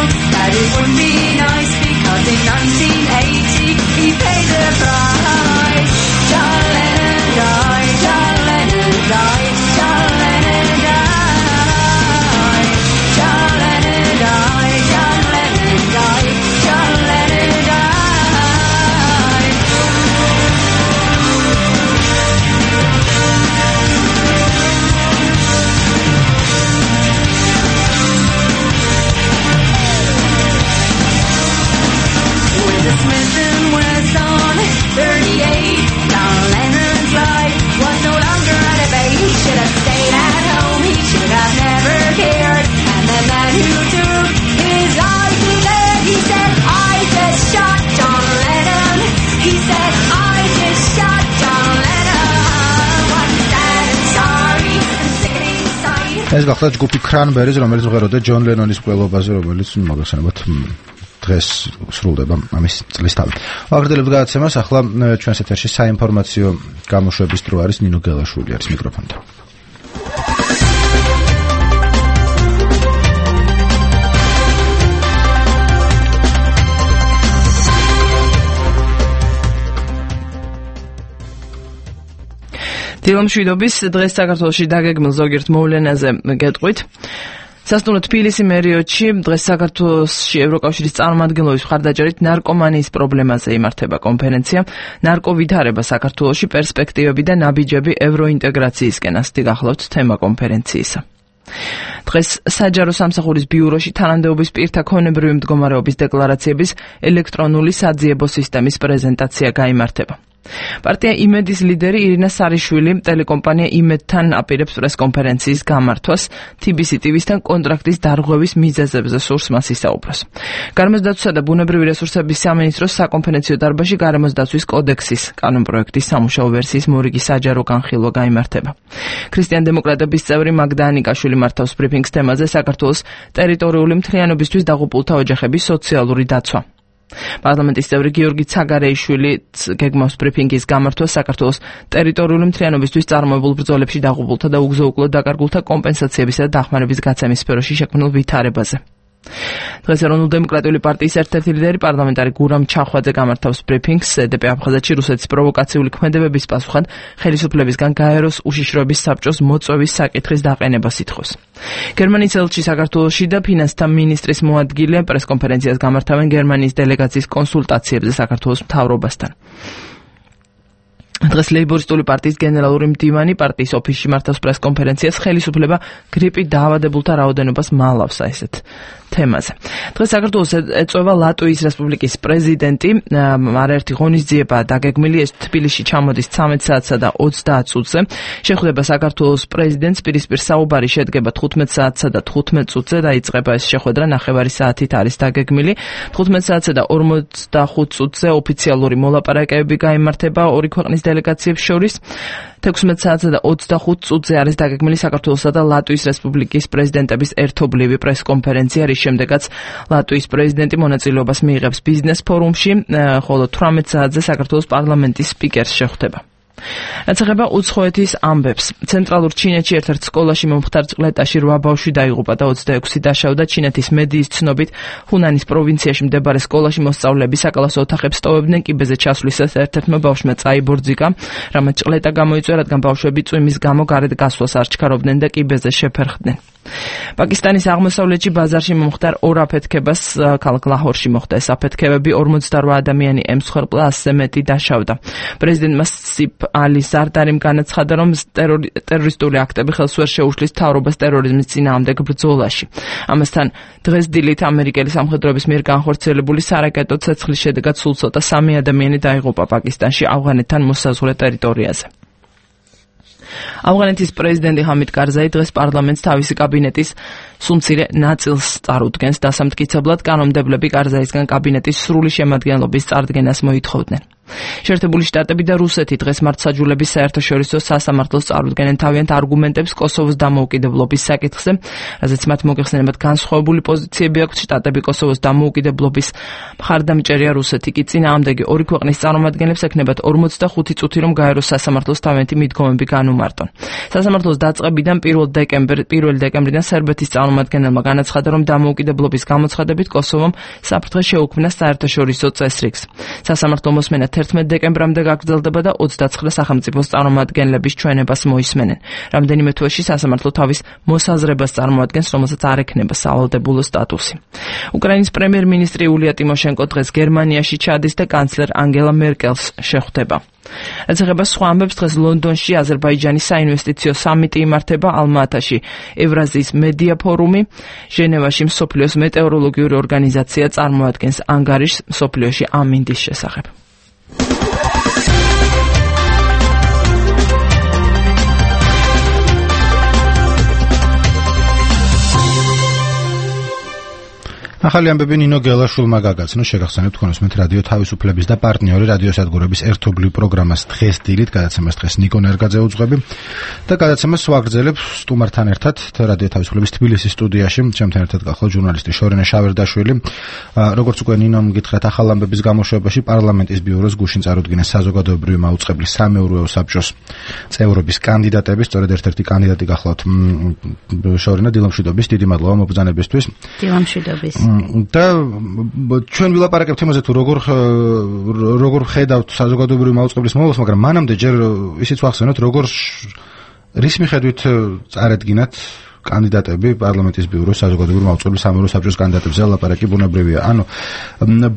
ეს გახლავთ ჯგუფი Cranberries, რომელიც მღეროდა ჯონ ლენონის მკვლელობაზე, რომელიც მოგეხსენებათ დღეს სრულდება ამის წლის თავი. ვაგრძელებთ გადაცემას, ახლა ჩვენს ეთერში საინფორმაციო გამოშვების დრო არის ნინო გელაშვილი არის მიკროფონთან. დილომშვიდობის დღეს საქართველოში დაგეგმილ ზოგიერთ მოვლენაზე გეტყვით. სასტუმრო თბილისი მერიოდში დღეს საქართველოში ევროკავშირის წარმომადგენლობის მხარდაჭერით ნარკომანიის პრობლემაზე იმართება კონფერენცია. ნარკოვითარება საქართველოში პერსპექტივები და ნაბიჯები ევროინტეგრაციისკენ ასეთი გახლავთ თემა კონფერენციისა. დღეს საჯარო სამსახურის ბიუროში თანამდებობის პირთა ქონებრივი მდგომარეობის დეკლარაციების ელექტრონული საძიებო სისტემის პრეზენტაცია გაიმართება. პარტია იმედის ლიდერი ირინა სარიშვილი ტელეკომპანია იმედთან აპირებს პრესკონფერენციის გამართვას TBC TV-სთან კონტრაქტის დარღვევის მიზეზებზე სურს მას ისაუბროს. გარემოს დაცვისა და ბუნებრივი რესურსების სამინისტროს საკონფერენციო დარბაზში გარემოს დაცვის კოდექსის კანონპროექტის სამუშაო ვერსიის მორიგი საჯარო განხილვა გაიმართება. ქრისტიან-დემოკრატების წევრი მაგდა ანიკაშვილი მართავს ბრიფინგს თემაზე საქართველოს ტერიტორიული მთლიანობისთვის დაღუპულთა ოჯახების სოციალური დაცვა. პარლამენტის წევრი გიორგი ცაგარეიშვილი გეგმავს ბრიფინგის გამართვას საქართველოს ტერიტორიული მთლიანობისთვის წარმოებულ ბრძოლებში დაღუპულთა და უგზო-უკლოდ დაკარგულთა კომპენსაციებისა და დახმარების გაცემის სფეროში შექმნილ ვითარებაზე. დღეს ეროვნულ-დემოკრატიული პარტიის ერთ-ერთი ლიდერი პარლამენტარი გურამ ჩახვაძე გამართავს ბრიფინგს SDP აფხაზეთში რუსეთის პროვოკაციული ქმედებების პასუხად ხელისუფლებისგან გაეროს უშიშროების საბჭოს მოწვევის საკითხის დაყენებას ითხოვს. გერმანიის ელჩი საქართველოში და ფინანსთა მინისტრის მოადგილე პრესკონფერენციას გამართავენ გერმანიის დელეგაციის კონსულტაციებზე საქართველოს მთავრობასთან. დღეს ლეიბორისტული პარტიის გენერალური მდივანი პარტიის ოფისში მართავს პრესკონფერენციას ხელისუფლება გრიპით დაავადებულთა რაოდენობას მალავს ესეთ თემაზე. დღეს საქართველოს ეწევა ლატვიის რესპუბლიკის პრეზიდენტი, არაერთი ღონისძიება დაგეგმილი, ეს თბილისში ჩამოდის 13 საათსა და 30 წუთზე. შეხვდება საქართველოს პრეზიდენტს, პირისპირ საუბარი შედგება 15 საათსა და 15 წუთზე და იწყება ეს შეხვედრა ნახევარი საათით არის დაგეგმილი. 15 საათსა და 45 წუთზე ოფიციალური მოლაპარაკებები გაიმართება ორი ქვეყნის დელეგაციებს შორის. 16 საათსა და 25 წუთზე არის დაგეგმილი საქართველოსა და ლატვიის რესპუბლიკის პრეზიდენტების ერთობლივი პრესკონფერენცია, რის შემდეგაც ლატვიის პრეზიდენტი მონაწილეობას მიიღებს ბიზნეს ფორუმში, ხოლო 18 საათზე საქართველოს პარლამენტის სპიკერს შეხვდება. რაც ეხება უცხოეთის ამბებს. ცენტრალურ ჩინეთში ერთ-ერთ სკოლაში მომხდარ წყლეტაში 8 ბავშვი დაიღუპა და 26 დაშავდა. ჩინეთის მედიის ცნობით, ჰუნანის პროვინციაში მდებარე სკოლაში მოსწავლეები საკლასო ოთახებს ტოვებდნენ, კიბეზე ჩასვლისას ერთ-ერთმა ბავშვმა წაიბორძიკა, რამაც წყლეტა გამოიწვია, რადგან ბავშვები წვიმის გამო გარეთ გასვლას არ ჩქარობდნენ და კიბეზე შეფერხდნენ. პაკისტანის აღმოსავლეთში ბაზარში მომხდარ ორ აფეთქებას ქალაქ ლაჰორში მოხდა. ეს აფეთქებები 48 ადამიანი ემსხვერპლა, 100-ზე მეტი დაშავდა. პრეზიდენტმა სიფ ალი ზარდარიმ განაცხადა, რომ ტერორისტული აქტები ხელს ვერ შეუშლის მთავრობას ტერორიზმის წინააღმდეგ ბრძოლაში. ამასთან დღეს დილით ამერიკელი სამხედროების მიერ განხორციელებული სარაკეტო ცეცხლის შედეგად სულ ცოტა 3 ადამიანი დაიღუპა პაკისტანში ავღანეთთან მოსაზღვრე ტერიტორიაზე. ავღანეთის პრეზიდენტი ჰამიდ კარზაი დღეს პარლამენტს თავისი კაბინეტის სუმცირე ნაწილს წარუდგენს. დასამტკიცებლად კანონმდებლები კარზაისგან კაბინეტის სრული შემადგენლობის წარდგენას მოითხოვდნენ. შეერთებული შტატები და რუსეთი დღეს მართლმსაჯულების საერთაშორისო სასამართლოს წარუდგენენ თავიანთ არგუმენტებს კოსოვოს დამოუკიდებლობის საკითხზე, რაზეც მათ მოგეხსენებათ განსხვავებული პოზიციები აქვთ. შტატები კოსოვოს დამოუკიდებლობის მხარდამჭერია, რუსეთი კი წინააღმდეგი ორი ქვეყნის წარმომადგენლებს ექნებათ 45 წუთი, რომ გაეროს სასამართლოს თავიანთი მიდგომები განუმარტონ. სასამართლოს დაწყებიდან 1 დეკემბრიდან სერბეთის წარმომადგენელმა განაცხადა, რომ დამოუკიდებლობის გამოცხადებით კოსოვომ საფრთხე შეუქმნა საერთაშორისო წესრიგს. სასამართლო მოსმენა 11 დეკემბრამდე გაგრძელდება და 29 სახელმწიფოს წარმომადგენლების ჩვენებას მოისმენენ. რამდენიმე თვეში სასამართლო თავის მოსაზრებას წარმოადგენს, რომელსაც არ ექნება სავალდებულო სტატუსი. უკრაინის პრემიერ-მინისტრი იულია ტიმოშენკო დღეს გერმანიაში ჩადის და კანცლერ ანგელა მერკელს შეხვდება. რაც ეხება სხვა ამბებს, დღეს ლონდონში აზერბაიჯანის საინვესტიციო სამიტი იმართება, ალმა-ატაში ევრაზიის მედია ფორუმი, ჟენევაში მსოფლიოს მეტეოროლოგიური ორგანიზაცია წარმოადგენს ანგარიშს მსოფლიოში ამინდის შესახებ. ახალი ამბები ნინო გელაშვილმა გაგაცნო, შეგახსენებთ თქვენს მე რადიო თავისუფლების და პარტნიორი რადიოსადგურების ერთობლივ პროგრამას დღეს დილით, გადაცემას დღეს ნიკო ნერგაძე უძღვები და გადაცემას ვაგრძელებ სტუმართან ერთად რადიო თავისუფლების თბილისის სტუდიაში. ჩემთან ერთად გახლავთ ჟურნალისტი შორენა შავერდაშვილი. როგორც უკვე ნინომ გითხრათ, ახალ ამბების გამოშვებაში პარლამენტის ბიუროს გუშინ წარუდგინეს საზოგადოებრივი მაუწყებლის სამეურვეო საბჭოს წევრობის კანდიდატები, სწორედ ერთ-ერთი კანდიდატი გახლავთ შორენა დილამშვიდობის. დიდი მადლობა მობრძანებისთვის. დილამშვიდობის. და ჩვენ ვილაპარაკებთ იმაზე თუ როგორ ხედავთ საზოგადოებრივი მაუწყებლის მოვლას, მაგრამ მანამდე ჯერ ისიც ვახსენოთ, როგორ რის მიხედვით წარედგინათ კანდიდატები პარლამენტის ბიუროს საზოგადოებრივი მაუწყებლის სამეურვეო საბჭოს კანდიდატებზე ლაპარაკი ბუნებრივია. ანუ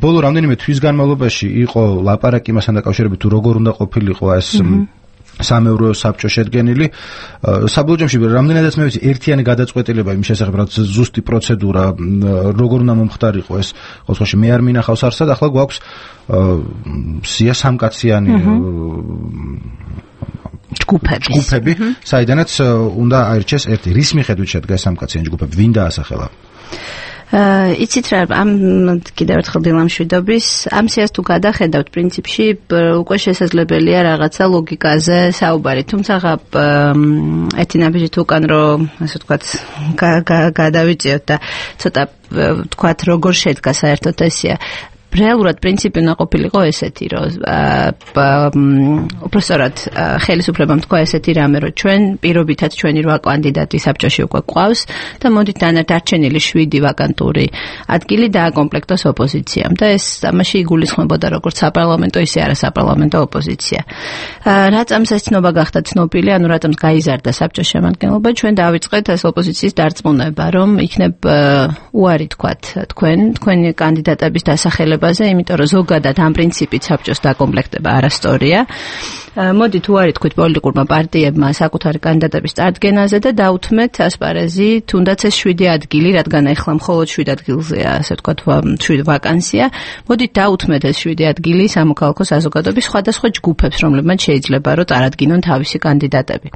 ბოლო რამდენიმე თვის განმავლობაში იყო ლაპარაკი იმასთან დაკავშირებით თუ როგორ უნდა ყოფილიყო ეს სამეურვეო საბჭო შედგენილი. საბოლოო ჯამში რამდენადაც მე ვიცი, ერთიანი გადაწყვეტილება იმ შესახებ, რაც ზუსტი პროცედურა, როგორ უნდა მომხდარიყო ეს, ყოველთვის მე არ მინახავს არსად, ახლა გვაქვს სია სამკაციანი ჯგუფები, საიდანაც უნდა აირჩეს ერთი. რის მიხედვით შედგა ეს სამკაციანი ჯგუფები, ვინ დაასახელა? იცით რა, ამ კიდევ ერთხელ დილამშვიდობის, ამ სიას თუ გადახედავთ, პრინციპში უკვე შესაძლებელია რაღაცა ლოგიკაზე საუბარი, თუმცა ერთი ნაბიჯით უკან რომ ასე ვთქვათ გადავიწიოთ და ცოტა ვთქვათ როგორ შედგა საერთოდ ეს სია. რეალურად პრინციპი უნდა ყოფილიყო ესეთი, რომ უბრალოდ ხელისუფლებამ თქვა ესეთი რამე, რომ ჩვენ პირობითად ჩვენი 8 კანდიდატი საბჭოში უკვე გვყავს და მოდით დარჩენილი 7 ვაკანტური ადგილი დააკომპლექტოს ოპოზიციამ და ეს ამაში იგულისხმებოდა როგორც საპარლამენტო, ისე არასაპარლამენტო ოპოზიცია. რატომაც ეს ცნობა გახდა ცნობილი, ანუ რატომაც გაიზარდა საბჭოს შემადგენლობა, ჩვენ დავიწყეთ ეს ოპოზიციის დარწმუნება, რომ იქნებ უარი თქვათ თქვენი კანდიდატების დასახელება, იმიტომ რომ ზოგადად ამ პრინციპით საბჭოს დაკომპლექტება არასწორია. მოდით უარი თქვით პოლიტიკურმა პარტიებმა საკუთარი კანდიდატების წარდგენაზე და დაუთმეთ ასპარეზი თუნდაც ეს 7 ადგილი, რადგან ახლა მხოლოდ 7 ადგილზეა, ასე ვთქვათ, 7 ვაკანსია. მოდით დაუთმეთ ეს 7 ადგილი სამოქალაქო საზოგადოების სხვადასხვა ჯგუფებს, რომლებმაც შეიძლება რომ წარადგინონ თავისი კანდიდატები.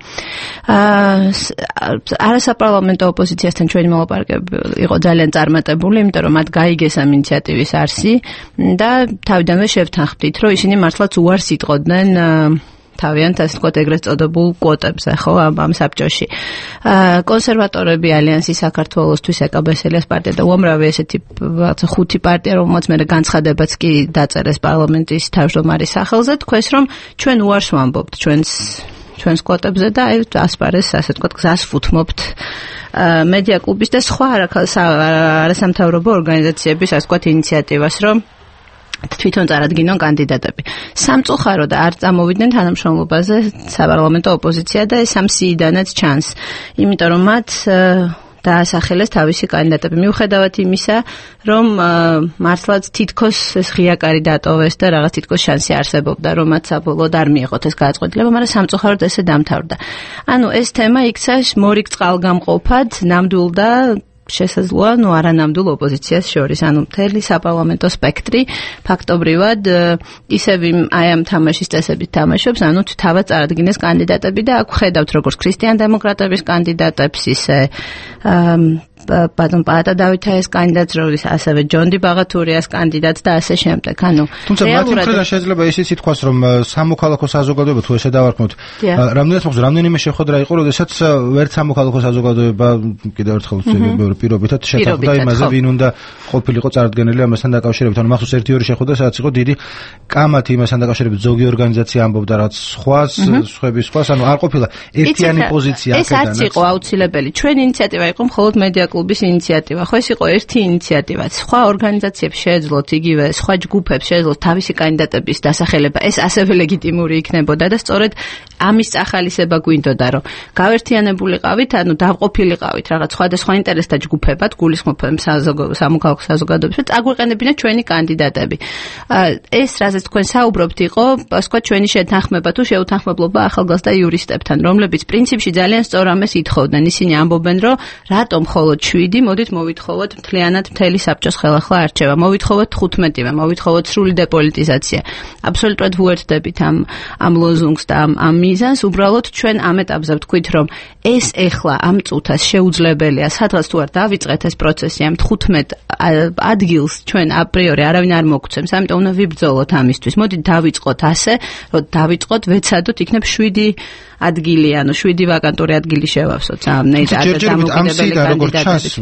არასაპარლამენტო ოპოზიციასთან ჩვენი მოლაპარაკებები იყო ძალიან წარმატებული, იმიტომ რომ მათ გაიგეს ამ ინიციატივის არსი და თავიდანვე შევთანხმდით, რომ ისინი მართლაც უარს იტყოდნენ თავიანთ ასე ვთქვათ ეგრეთ წოდებულ კვოტებზე, ხო, ამ საბჭოში. კონსერვატორები, ალიანსი საქართველოსთვის, ეკაბესელიას პარტია და უამრავი ესეთი 5 პარტია, რომელმაც მე განცხადებაც კი დაწერეს პარლამენტის თავმჯდომარის სახელზე, თქვეს რომ ჩვენ უარს ვამბობთ ჩვენს კვოტებზე და აი ასპარეზს ასე ვთქვათ გზას ვუთმობთ მედია კლუბის და სხვა არასამთავრობო ორგანიზაციების ასე ვთქვათ ინიციატივას, რომ თვითონ წარადგინონ კანდიდატები. სამწუხაროდ არ წამოვიდნენ თანამშრომლობაზე საპარლამენტო ოპოზიცია და ეს ამ სიიდანაც ჩანს, იმიტომ რომ მათ დაასახელეს თავისი კანდიდატები. მიუხედავად იმისა, რომ მართლაც თითქოს ეს ღია კარი დატოვეს და რაღაც თითქოს შანსი არსებობდა, რომ მათ საბოლოოდ არ მიიღოთ ეს გადაწყვეტილება, მაგრამ სამწუხაროდ ესე დამთავრდა. ანუ ეს თემა იქცა მორიგ წყალგამყოფად, ნამდვილ და შესაძლოა, არანამდვილ ოპოზიციას შორის, მთელი საპარლამენტო სპექტრი ფაქტობრივად ისევ აი ამ თამაშის წესებით თამაშობს, თავად წარადგინეს კანდიდატები და აქ ხედავთ როგორც ქრისტიან დემოკრატების კანდიდატებს, ისე პატა დავითაის კანდიდატს, როგორც ასევე ჯონდი ბაღათურიას კანდიდატს და ასე შემდეგ. თუმცა მათი მხრიდან შეიძლება ისიც ითქვას, რომ სამოქალაქო საზოგადოება თუ ესე დავარქმევთ, რამდენიმე შეხვედრა იყო, როდესაც ვერც სამოქალაქო საზოგადოება კიდევ ერთხელ პირობითად შეთანხმდა იმაზე, ვინ უნდა ყოფილიყო წარდგენილი ამასთან დაკავშირებით. მახსოვს 1-2 შეხვედრა, სადაც იყო დიდი კამათი იმასთან დაკავშირებით, ზოგი ორგანიზაცია ამბობდა რაც სხვას, სხვას, არ ყოფილა ერთიანი პოზიცია აქედანაც. ეს არც იყო აუცილებელი. ჩვენი ინიციატივა იყო მხოლოდ მედია კლუბის ინიციატივა. ხო, ეს იყო ერთი ინიციატივა. სხვა ორგანიზაციებს შეეძლოთ იგივე, სხვა ჯგუფებს შეეძლოთ თავისი კანდიდატების დასახელება. ეს ასევე ლეგიტიმური იქნებოდა და სწორედ ამის წახალისება გვინდოდა, რომ გავერთიანებულიყავით, დავყოფილიყავით რაღაც სხვადასხვა ინტერესთა ჯგუფებად, გულისხმობთ სამოქალაქო საზოგადოებას და აგვეყენებინათ ჩვენი კანდიდატები. ეს რაზეც თქვენ საუბრობთ იყო, სხვა ჩვენი შეთანხმება თუ შეუთანხმებლობა ახალგაზრდა იურისტებთან, რომლებიც პრინციპში ძალიან სწორ ამას ითხოვდნენ. ისინი ამბობენ, რომ რატომ მხოლოდ 7, მოდით მოვითხოვოთ მთლიანად მთელი საბჭოს ხელახლა არჩევა. მოვითხოვოთ 15-ე, მოვითხოვოთ სრული დეპოლიტიზაცია. აბსოლუტურად ვუერთდებით ამ ლოზუნგს და ამ მიზანს. უბრალოდ ჩვენ ამ ეტაპზე ვთქვით, რომ ეს ეხლა ამ წუთას შეუძლებელია, სადღაც თუ არ დავიწყეთ ეს პროცესი ამ 15 ადგილს ჩვენ აპრიორი არავინ არ მოგცემს, ამიტომ უნდა ვიბრძოლოთ ამისთვის. მოდით დავიწყოთ ასე, რომ დავიწყოთ, ვეცადოთ, იქნებ 7 ადგილი, ანუ 7 ვაკანტური ადგილი შევავსოთ ამ დამოუკიდებელი კანდიდატების.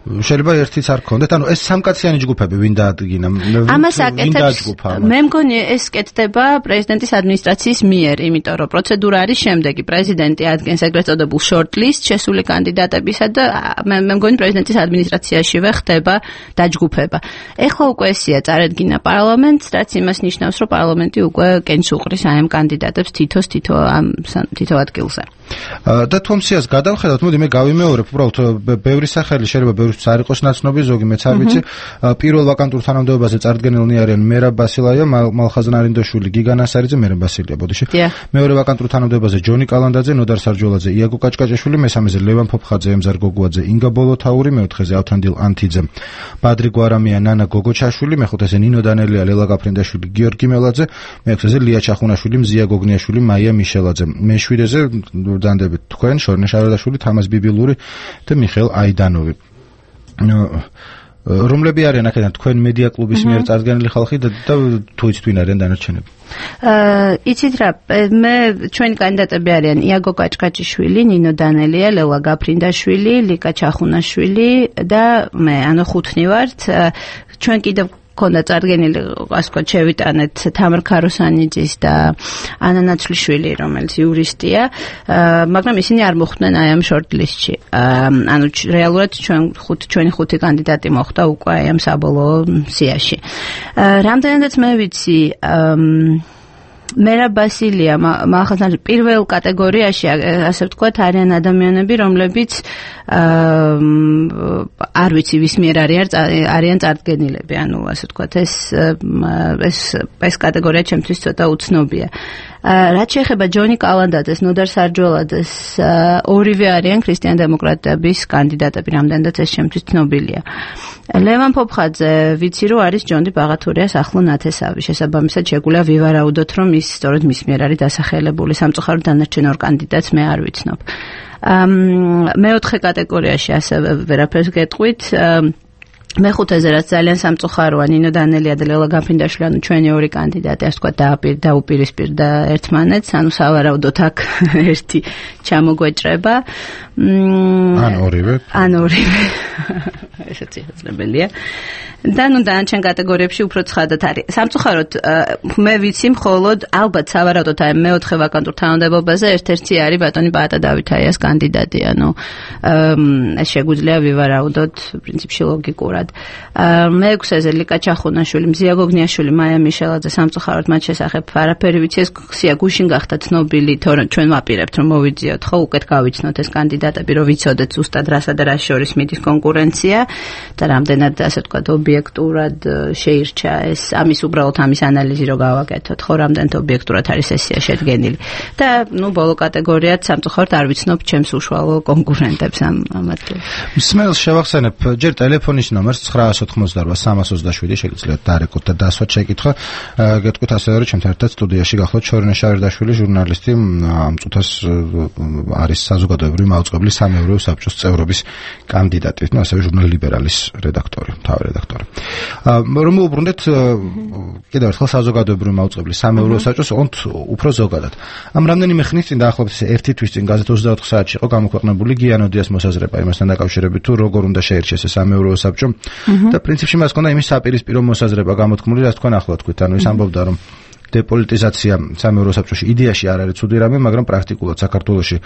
შეიძლება ერთიც არ გქონდეთ, ანუ ეს სამკაციანი ჯგუფები ვინ დაადგინა? ამას აკეთებს. მე მგონი ეს კეთდება პრეზიდენტის ადმინისტრაციის მიერ, იმიტომ რომ პროცედურა არის შემდეგი. პრეზიდენტი ადგენს ეგრეთ წოდებულ short-list შესული კანდიდატებისა და მე მგონი პრეზიდენტის ადმინისტრაციაშივე ხდება დაჯგუფება. ეხლა უკვე ესია წარედგინა პარლამენტს, რაც იმას ნიშნავს, რომ პარლამენტი უკვე კენჭს უყრის ამ კანდიდატებს თითო ადგილზე. და თუ ამ სიას გადავხედავთ, მოდი მე გავიმეორებ, უბრალოდ ბევრი სახელი შეიძლება ბევრისთვის არ იყოს ნაცნობი, ზოგი მეც არ ვიცი. პირველ ვაკანტურ თანამდებობაზე წარდგენილნი არიან მერაბ ბასილაია, მალხაზ ნარინდაშვილი, გიგან ასარიძე, მერაბ ბასილია, ბოდიში. მეორე ვაკანტურ თანამდებობაზე ჯონი კალანდაძე, ნოდარ სარჯოლაძე, იაგო კაჭკაჭაშვილი, მესამეზე ლევან ფოფხაძე, ემზარ გოგუაძე, ინგა ბოლოთაური, მეოთხეზე ავთანდილ ანთიძე, ბადრი გვარამია, ნანა გოგოჩაშვილი, მეხუთეზე ნინო დანელია, ლელა გაფრინდაშვილი, გიორგი მელაძე, მეექვსეზე ლია ჩახუნაშვილი, მზია გოგნიაშვილი, მაია მიშელაძე, მეშვიდეზე დანდებით თქვენ, შორნე შარდაშვილი, თამაზ ბიბილური და მიხეილ აიდანოვი. რომლები არიან აქედან თქვენ მედია კლუბის მიერ წარდგენილი ხალხი და თუ იცით ვინ არიან დანარჩენები? იცით რა, ჩვენი კანდიდატები არიან იაგო კაჭკაჭიშვილი, ნინო დანელია, ლელა გაფრინდაშვილი, ლიკა ჩახუნაშვილი და მე, ანუ 5 ვართ. ჩვენ კიდევ ქონდა წარდგენილი, ასე ვთქვათ, შევიტანეთ თამარ ქაროსანიძის და ანა ნაცვლიშვილი, რომელიც იურისტია, მაგრამ ისინი არ მოხვდნენ აი ამ short-list-ში. ანუ რეალურად ჩვენი 5 კანდიდატი მოხვდა უკვე აი ამ საბოლოო სიაში. რამდენადაც მე ვიცი, მერაბ ბასილია, მალხაზ პირველ კატეგორიაში, ასე ვთქვათ, არიან ადამიანები, რომლებიც არ ვიცი ვის მიერ არიან წარდგენილები, ანუ ასე ვთქვათ, ეს კატეგორია ჩემთვის ცოტა უცნობია. რაც შეეხება ჯონი კალანდაძეს, ნოდარ სარჯოლაძეს, ორივე არიან ქრისტიან-დემოკრატების კანდიდატები, რამდენადაც ეს ჩემთვის ცნობილია. ლევან ფოფხაძე, ვიცი რომ არის ჯონდი ბაღათურიას ახლო ნათესავი, შესაბამისად შეგვიძლია ვივარაუდოთ, რომ ის სწორედ მის მიერ არის დასახელებული. სამწუხაროდ დანარჩენ ორ კანდიდატს მე არ ვიცნობ. მეოთხე კატეგორიაში ასევე ვერაფერს გეტყვით. მეხუთეზე რაც ძალიან სამწუხაროა, ნინო დანელია და ლელა გაფრინდაშვილი, ანუ ჩვენი ორი კანდიდატი, ასე ვთქვათ, დაუპირისპირდა ერთმანეთს, ანუ სავარაუდოდ აქ ერთი ჩამოგვეჭრება. ან ორივე. ესეც შესაძლებელია. და ნუ დანარჩენ კატეგორიებში უფრო ცხადად არის. სამწუხაროდ მე ვიცი მხოლოდ ალბათ სავარაუდოდ აი მეოთხე ვაკანტურ თანამდებობაზე ერთ-ერთი არის ბატონი პაატა დავითაიას კანდიდატი, ანუ ეს შეგვიძლია ვივარაუდოთ პრინციპში ლოგიკურად. მეექვსეზე ლიკა ჩახუნაშვილი, მზია გოგნიაშვილი, მაია მიშელაძე, სამწუხაროდ მათ შესახებ არაფერი ვიცი, ეს ხსია გუშინ გახდა ცნობილი, თორემ ჩვენ ვაპირებთ რომ მოვიძიოთ, ხო, უკეთ გავიცნოთ ეს კანდიდატები, რომ ვიცოდეთ ზუსტად რასა და რას შორის მიდის კონკურენცია და რამდენად ასე ვთქვათ ობიექტურად შეირჩა ეს, ამის უბრალოდ ამის ანალიზი რო გავაკეთოთ, ხო, რამდენად ობიექტურად არის სესია შედგენილი. და ნუ ბოლო კატეგორიაც სამწუხაროდ არ ვიცნობ ჩემს უშუალო კონკურენტებს ამ ადგილას. მსმენელს შევახსენებ ჯერ ტელეფონის ნომერს 988-327 შეგიძლიათ დარეკოთ და დასვათ შეკითხვა. გეტყვით ასევე რომ ჩემთან ერთად სტუდიაში გახლავთ შორნე შარდაშვილი, ჟურნალისტი, ამ წუთას არის საზოგადოებრივი მაუწყებლის სამეურვეო საბჭოს წევრობის კანდიდატი, ну ასევე ჟურნალ ლიბერალის რედაქტორი, მთავარი რედაქტორი. რომ უბრუნდეთ კიდევ ერთხელ საზოგადოებრივი მაუწყებლის სამეურვეო საბჭოს უფრო ზოგადად. ამ რამდენიმე ხნის წინ დაახლოებით ერთი თვის წინ გაზეთ 24 საათში იყო გამოქვეყნებული გიანოდიას მოსაზრება იმასთან დაკავშირებით თუ როგორ უნდა შეირჩეს ეს სამეურვეო საბჭო და პრინციპში მას ჰქონდა იმის საპირისპირო მოსაზრება გამოთქმული, რაც თქვენ ახლა თქვით, ანუ ის ამბობდა რომ დეპოლიტიზაცია სამეურვეო საბჭოში იდეაში არ არის ცუდი რამე, მაგრამ პრაქტიკულად საქართველოში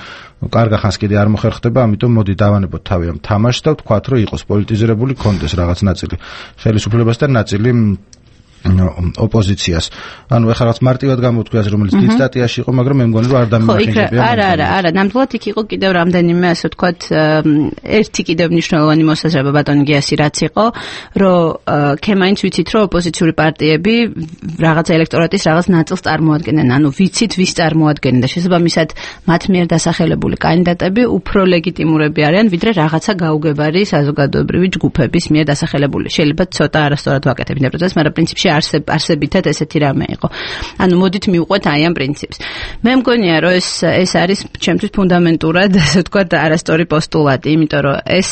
კარგა ხანს კიდე არ მოხერხდება, ამიტომ მოდი დავანებოთ თავი ამ თამაშს და ვთქვათ, რომ იყოს პოლიტიზირებული კონტეს რაღაც ნაწილი ხელისუფლებას და ნაწილი ოპოზიციას. ანუ ეხლა რაღაც მარტივად გამოთქვიას, რომელიც დიდ სტატიაში იყო, მაგრამ მე მგონი რომ არ დამიმახინჯებია. არა, ნამდვილად იქ იყო კიდევ რამდენიმე, ასე ვთქვათ, ერთი კიდევ მნიშვნელოვანი მოსაზრება ბატონი გიასი რაც იყო, რომ ქემაინც ვიცით, რომ ოპოზიციური პარტიები რაღაც ელექტორატის რაღაც ნაწილს წარმოადგენენ, ანუ ვიცით ვის წარმოადგენენ და შესაბამისად მათ მიერ დასახელებული კანდიდატები უფრო ლეგიტიმურები არიან, ვიდრე რაღაცა გაუგებარი საზოგადოებრივი ჯგუფების მიერ დასახელებული. შეიძლება ცოტა არასწორად ვაკეთებ იმ პროცესს, მაგრამ პრინციპში არსებითად ესეთი რამე იყო. ანუ მოდით მივყვეთ აი ამ პრინციპს. მე მგონია რომ ეს არის ჩემთვის ფუნდამენტურად, ასე ვთქვათ, არასწორი პოსტულატი, იმიტომ რომ ეს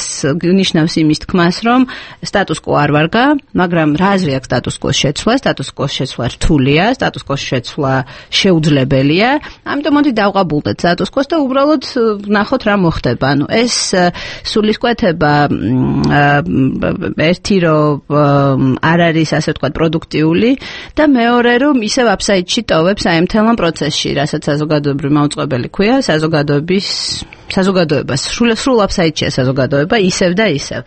ნიშნავს იმის თქმას, რომ სტატუს-კვო არ ვარგა, მაგრამ რა აზრი აქვს სტატუს-კვოს შეცვლა? სტატუს-კვოს შეცვლა რთულია, სტატუს-კვოს შეცვლა შეუძლებელია. ამიტომ მოდი დავყაბულდეთ სტატუს-კვოს და უბრალოდ ვნახოთ რა მოხდება. ანუ ეს სულისკვეთება ერთი რომ არ არის, ასე ვთქვათ, პროდუქტიული და მეორე რომ ისევ აფსაიდში ტოვებს აი მთელ პროცესში, რასაც საზოგადოებრივი მაუწყებელი ქვია, საზოგადოებას სრულ აფსაიდშია საზოგადოება ისევ და ისევ.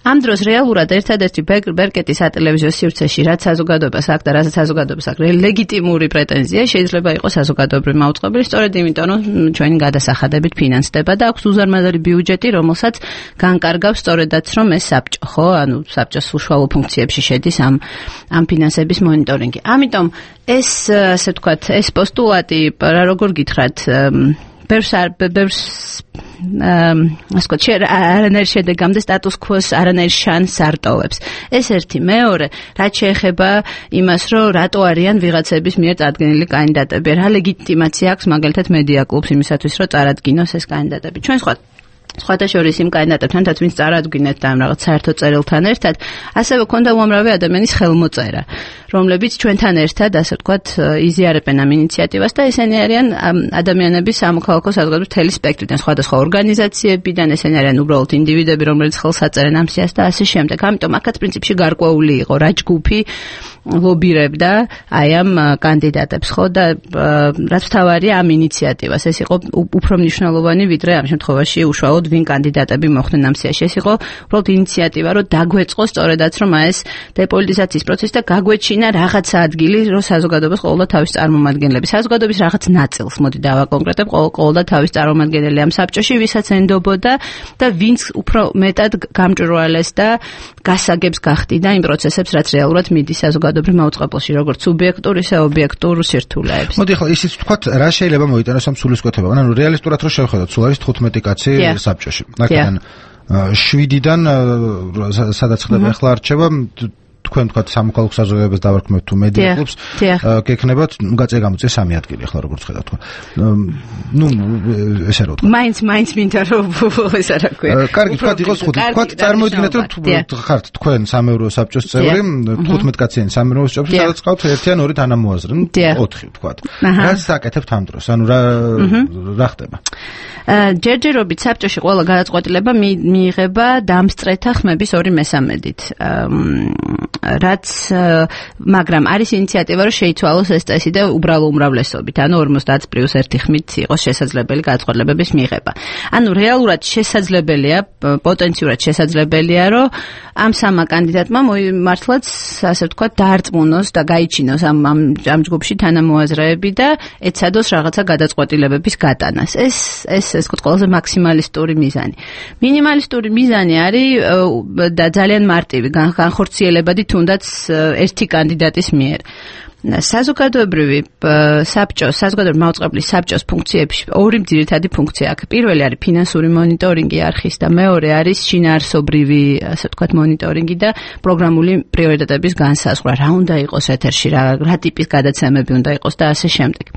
ამ დროს რეალურად ერთადერთი ბერკეტის ატელევიზიო სივრცეში რაც საზოგადოებას აქვს და რასაც საზოგადოებას აქვს ლეგიტიმური პრეტენზია შეიძლება იყოს საზოგადოებრივი მაუწყებელი, სწორედ იმიტომ რომ ჩვენი გადასახადებით ფინანსდება და აქვს უზარმაზარი ბიუჯეტი, რომელსაც განკარგავს სწორედაც რომ ეს საბჭო, ხო, ანუ საბჭოს უშუალო ფუნქციებში შედის ამ ფინანსების მონიტორინგი. ამიტომ ეს, ასე ვთქვათ, ეს პოსტულატი რა როგორ გითხრათ, არანაირ შედეგამდე სტატუს-კვოს არანაირ შანსს არ ტოვებს. ეს ერთი. მეორე, რაც შეეხება იმას, რომ რატო არიან ვიღაცების მიერ წარდგენილი კანდიდატები, რა ლეგიტიმაცია აქვს მაგალითად მედია კლუბს იმისათვის, რომ წარადგინოს ეს კანდიდატები. ჩვენ სხვათა შორის იმ კანდიდატებთანაც, ვინც წარადგინეთ და ამ რაღაც საერთო წერილთან ერთად, ასევე ქონდა უამრავი ადამიანის ხელმოწერა, რომლებიც ჩვენთან ერთად, ასე ვთქვათ, იზიარებენ ამ ინიციატივას და ესენი არიან ადამიანების სამოქალაქო საზოგადოების მთელი სპექტრიდან, სხვადასხვა ორგანიზაციებიდან, ესენი არიან უბრალოდ ინდივიდები, რომლებიც ხელს აწერენ ამ სიას და ასე შემდეგ. ამიტომ აქაც პრინციპში გარკვეული იყო რა ჯგუფი ლობირებდა აი ამ კანდიდატებს, ხო, და რაც თავარია ამ ინიციატივას, ეს იყო უფრო მნიშვნელოვანი, ვიდრე ამ შემთხვევაში უშუალოდ ვინ კანდიდატები მოხვდნენ ამ სიაში. ეს იყო უბრალოდ ინიციატივა, რომ დაგვეწყოს სწორედაც რომ ეს დეპოლიტიზაციის პროცესი და გაგვეჩინა რაღაცა ადგილი, რომ საზოგადოებას ყოველდღე თავის წარმომადგენლები, საზოგადოების რაღაც ნაწილს, მოდი დავაკონკრეტებ, ყოველდღე თავის წარმომადგენელი ამ საბჭოში, ვისაც ენდობოდა და ვინც უფრო მეტად გამჭვირვალეს და გასაგებს გახდიდა იმ პროცესებს, რაც რეალურად მიდის საზოგადოებრივ მაუწყებელში, როგორც სუბიექტურ, ისე ობიექტურ სირთულეებს. მოდი ახლა ისიც ვთქვათ, რა შეიძლება მოიტანოს ამ სულისკვეთებამ, ანუ რეალისტურად რო შევხედოთ, სულ არის 15 კაცი საბჭოში. აქედან 7-დან სადაც ხდება ახლა არჩევა, თქვენ თქვათ სამოქალაქო საზოგადოებას დავარქმევთ თუ მედია კლუბს, გექნებათ, გაწე გამოწე 3 ადგილი ახლა როგორც ხედავთ თქვა. ნუ ესე რა ვთქვა. მაინც მინდა რომ ეს არა ქვია. კარგი, თქვათ იყოს 5. თქვათ წარმოიდგინეთ რომ ხართ თქვენ 3 საბჭოს წევრი, 15 კაციანი 3 საბჭოში, სადაც ყავთ ერთიან ორი თანამოაზრე, 4 თქვათ. რა საკეთებთ ამ დროს? ანუ რა ხდება? ჯერჯერობით საბჭოში ყველა გადაწყვეტილება მიიღება დამსწრეთა ხმების 2/3-ით. რაც მაგრამ არის ინიციატივა რომ შეიცვალოს ეს წესი და უბრალო უმრავლესობით, ანუ 50+1 ხმით იყოს შესაძლებელი გადაწყვეტილებების მიღება. ანუ რეალურად შესაძლებელია, პოტენციურად შესაძლებელია, რომ ამ სამა კანდიდატმა მართლაც, ასე ვთქვათ, დაარწმუნოს და გაიჩინოს ამ ჯგუფში თანამოაზრეები და ეცადოს რაღაცა გადაწყვეტილებების გატანას. ეს ყველაზე მაქსიმალისტური მიზანი. მინიმალისტური მიზანი არის და ძალიან მარტივი, განხორციელებადი თუნდაც ერთი კანდიდატის მიერ. საზოგადოებრივი მაუწყებლის საბჭოს ფუნქციებში 2 ძირითადი ფუნქცია აქვს. პირველი არის ფინანსური მონიტორინგი არხის და მეორე არის შინაარსობრივი, ასე ვთქვათ, მონიტორინგი და პროგრამული პრიორიტეტების განსაზღვრა. რა უნდა იყოს ეთერში, რა ტიპის გადაცემები უნდა იყოს და ასე შემდეგ.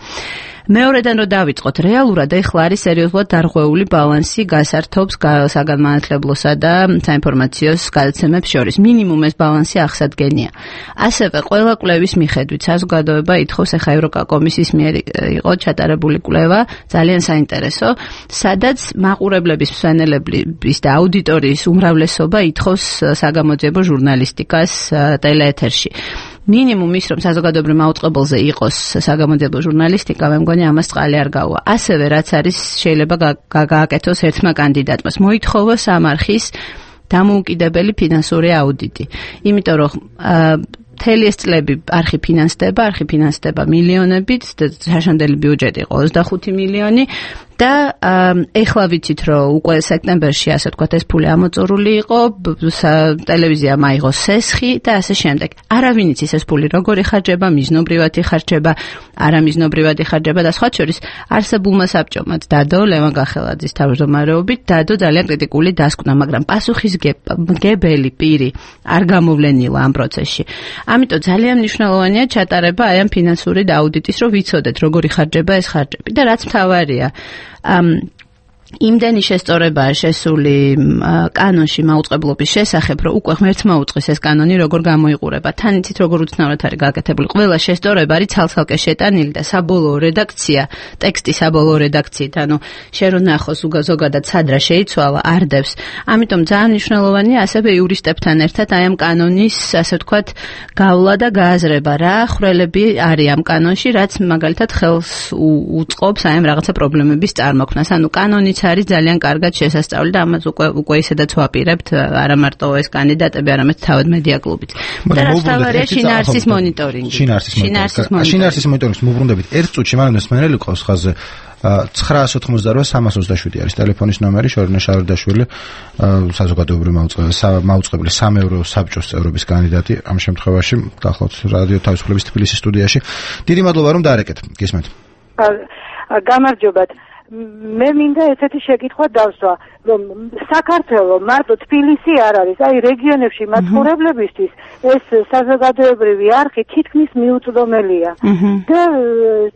მეორედან რომ დავიწყოთ, რეალურად ეხლა არის სერიოზულად დარღვეული ბალანსი გასართობს საგანმანათლებლოსა და საინფორმაციო გადაცემებს შორის. მინიმუმ ეს ბალანსი აღსადგენია. ასევე ყველა კვლევის მიხედვით საზოგადოება ითხოვს, ეხა ევროკომისიის მიერ იყო ჩატარებული კვლევა, ძალიან საინტერესო, სადაც მაყურებლების, მსვენელების და აუდიტორიის უმრავლესობა ითხოვს საგამოძიებო ჟურნალისტიკას ტელეეთერში. მინიმუმ ის რომ საზოგადოებრივ მაუწყებელზე იყოს საგამოძიებო ჟურნალისტიკა, მე მგონი ამას წყალი არ გაუვა. ასევე რაც არის შეიძლება გააკეთოს ერთმა კანდიდატმა, მოითხოვოს ამ არხის დამოუკიდებელი ფინანსური აუდიტი. იმიტომ რომ მთელი ეს წლები არხი ფინანსდება მილიონებით, შაშანდელი ბიუჯეტი იყო 25 მილიონი. და ეხლა ვიცით რომ უკვე სექტემბერში ასე ვთქვათ ეს ფული ამოწურული იყო, ტელევიზიამ აიღო სესხი და ასე შემდეგ. არავინ იცის ეს ფული როგორ იხარჯება, მიზნობრივად იხარჯება, არამიზნობრივად იხარჯება და სხვა შორის არსებულმა საბჭომაც დადო ლევან გახელაძის თავმჯდომარეობით დადო ძალიან კრიტიკული დასკვნა, მაგრამ პასუხისმგებელი პირი არ გამოვლენილა ამ პროცესში. ამიტომ ძალიან მნიშვნელოვანია ჩატარება აი ამ ფინანსური აუდიტის, რომ ვიცოდეთ როგორ იხარჯება ეს ხარჯები და რაც მთავარია იმდენი შესწორებაა შესული კანონში მაუწყებლობის შესახებ, რომ უკვე ღმერთმა უწყის ეს კანონი როგორ გამოიყურება. თან იცით როგორ უცნაურად არის გაკეთებული. ყველა შესწორება არის ცალ-ცალკე შეტანილი და საბოლოო რედაქცია, ტექსტი საბოლოო რედაქციით, ანუ შენ რო ნახოს ზოგადად სადრა შეიცვალა, არდებს. ამიტომ ძალიან მნიშვნელოვანია ასევე იურისტებთან ერთად აი ამ კანონის, ასე ვთქვათ, გავლა და გააზრება, რა ხვრელები არის ამ კანონში, რაც მაგალითად ხელს უწყობს აი ამ რაღაცა პრობლემების წარმოქმნას. ანუ კანონიც არის ძალიან კარგად შესასწავლი და ამას უკვე ისედაც ვაპირებთ არა მარტო ეს კანდიდატები, არამედ თავად მედია კლუბიც. და რაც თავარია შინაარსის მონიტორინგი. შინაარსის მონიტორინგის მოbrunდებით ერთ წუთში მანამდე მსმენელი ყავს ხაზზე 988-327 არის ტელეფონის ნომერი, შორინა შარდაშვილი, საზოგადოებრივი მაუწყებელი 3 ევრო საბჭოს წევრობის კანდიდატი ამ შემთხვევაში გახლავთ რადიო თავისუფლების თბილისის სტუდიაში. დიდი მადლობა რომ დაარეკეთ. გისმენთ. გამარჯობათ. მე მინდა ესეთი შეკითხვა დავსვა, რომ საქართველოს მარტო თბილისი არ არის, აი რეგიონებში მაცხოვრებლებისთვის ეს საზოგადოებრივი არხი თითქმის მიუწვდომელია. და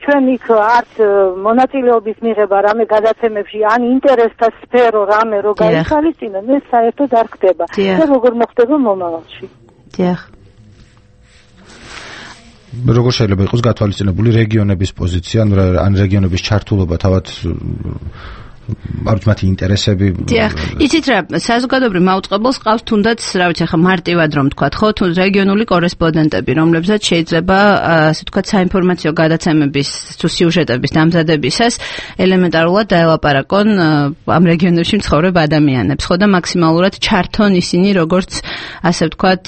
ჩვენ იქ არც მონაწილეობის მიღება რამე გადაცემებში, ან ინტერესთა სფერო რამე რო გაიხალისწინონ, ეს საერთოდ არ ხდება. და როგორ მოხდება მომავალში? დიახ. როგორ შეიძლება იყოს გათვალისწინებული რეგიონების პოზიცია, ან რეგიონების ჩართულობა თავად მათი ინტერესები. დიახ, იცით რა, საზოგადოებრივ მაუწყებელს ყავს თუნდაც, რა ვიცი, ახლა მარტივად რომ თქვა, ხო, თუ რეგიონული კორესპონდენტები, რომლებსაც შეიძლება, ასე ვთქვათ, საინფორმაციო გადაცემების თუ სიუჟეტების დამზადებისას ელემენტარულად დაელაპარაკონ ამ რეგიონებში მცხოვრებ ადამიანებს, ხო და მაქსიმალურად ჩართონ ისინი როგორც, ასე ვთქვათ,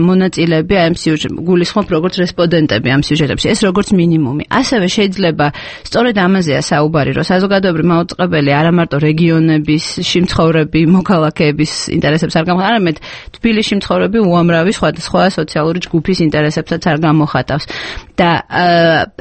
მონაწილეები ამ სიუჟეტებში, გულისხმობ როგორც რესპონდენტები ამ სიუჟეტებში, ეს როგორც მინიმუმი. ასევე შეიძლება სწორედ ამაზეა საუბარი, რომ საზოგადოებრივ მაუწყებელი არა მარტო რეგიონების შემცხოვრები მოქალაქეების ინტერესებს არ გამოხატავს, არამედ თბილისში მცხოვრები უამრავი სხვა სოციალური ჯგუფის ინტერესებსაც არ გამოხატავს. და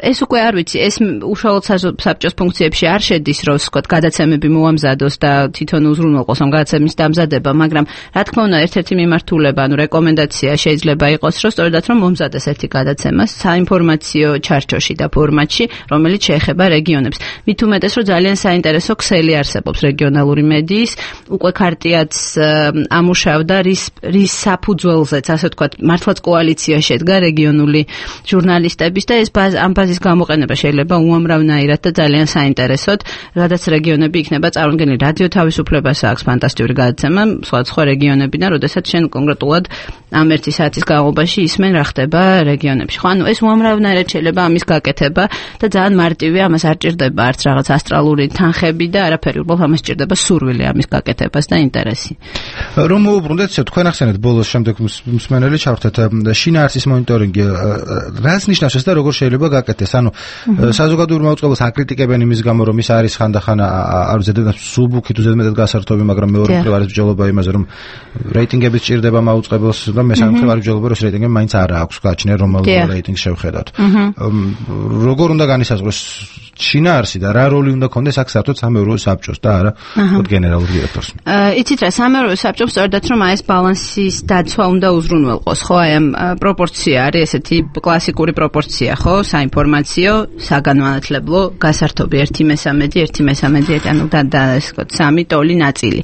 ეს უკვე არ ვიცი, ეს უშუალოდ საბჭოს ფუნქციებში არ შედის, რომ ვთქვათ, გადაცემები მოამზადოს და თვითონ უზრუნველყოს ამ გადაცემის დამზადება, მაგრამ რა თქმა უნდა, ერთ-ერთი მიმართულება, ანუ რეკომენდაცია შეიძლება იყოს, რომ სწორედაც რომ მომზადდეს ერთი გადაცემა საინფორმაციო ჩარჩოში და ფორმატში, რომელიც შეეხება რეგიონებს. მით უმეტეს, რომ ძალიან საინტერესო ქსელი არსებობს რეგიონალური მედიის, უკვე ქარტიაც ამუშავდა რის საფუძველზეც, ასე ვთქვათ, მართლაც კოალიცია შედგა რეგიონული ჟურნალისტების და ეს ამ ბაზის გამოყენება შეიძლება უამრავნაირად და ძალიან საინტერესოდ, რადგან რეგიონები იქნება წარმოდგენილი რადიო თავისუფლებას აქვს ფანტასტიკური გადაცემა, სხვა რეგიონებიდან, როდესაც შენ კონკრეტულად ამ ერთი საათის განმავლობაში ისმენ რა ხდება რეგიონებში. ხო, ანუ ეს უამრავნაირად შეიძლება ამის გაკეთება და ძალიან მარტივია, ამას არ ჭირდება არც რაღაც ასტრალური თანხები და არაფერი, უბრალოდ ამას ჭირდება სურვილი ამის გაკეთებას და ინტერესი. რომ მოუბრუნდეთ, თქვენ ახსენეთ ბოლოს შემდეგ მსმენელი ჩავრთეთ შინაარსის მონიტორინგი, რას ნიშნავს და როგორ შეიძლება გაკეთდეს? ანუ საზოგადოებრივ მაუწყებელს აკრიტიკებენ იმის გამო, რომ ის არის ხანდახან არ ზედმეტად სუბუქი თუ ზედმეტად გასართობი, მაგრამ მეორე მხრივ არის ბრძოლობა იმაზე, რომ რეიტინგებიც ჭირდება მაუწყებელს და მესამე მხრივ არის ბრძოლობა, რომ რეიტინგები მაინც არ აქვს გააჩნია, რომელ რეიტინგს შევხედავთ. როგორ უნდა განისაზღვროს შინაარსი და რა როლი უნდა ქონდეს აქ საერთოდ 3 ევრო საბჭოს და არა გენერალურ დირექტორს? იცით რა, 3 ევრო საბჭომ სწორედაც რომ აი ეს ბალანსის დაცვა უნდა უზრუნველყოს, ხო, აი ამ პროპორცია არის ესეთი კლასიკური პროპორცია, ხო, საინფორმაციო, საგანმანათლებლო, გასართობი 1/3, ანუ და ეს ვთქვათ 3 ტოლი ნაწილი.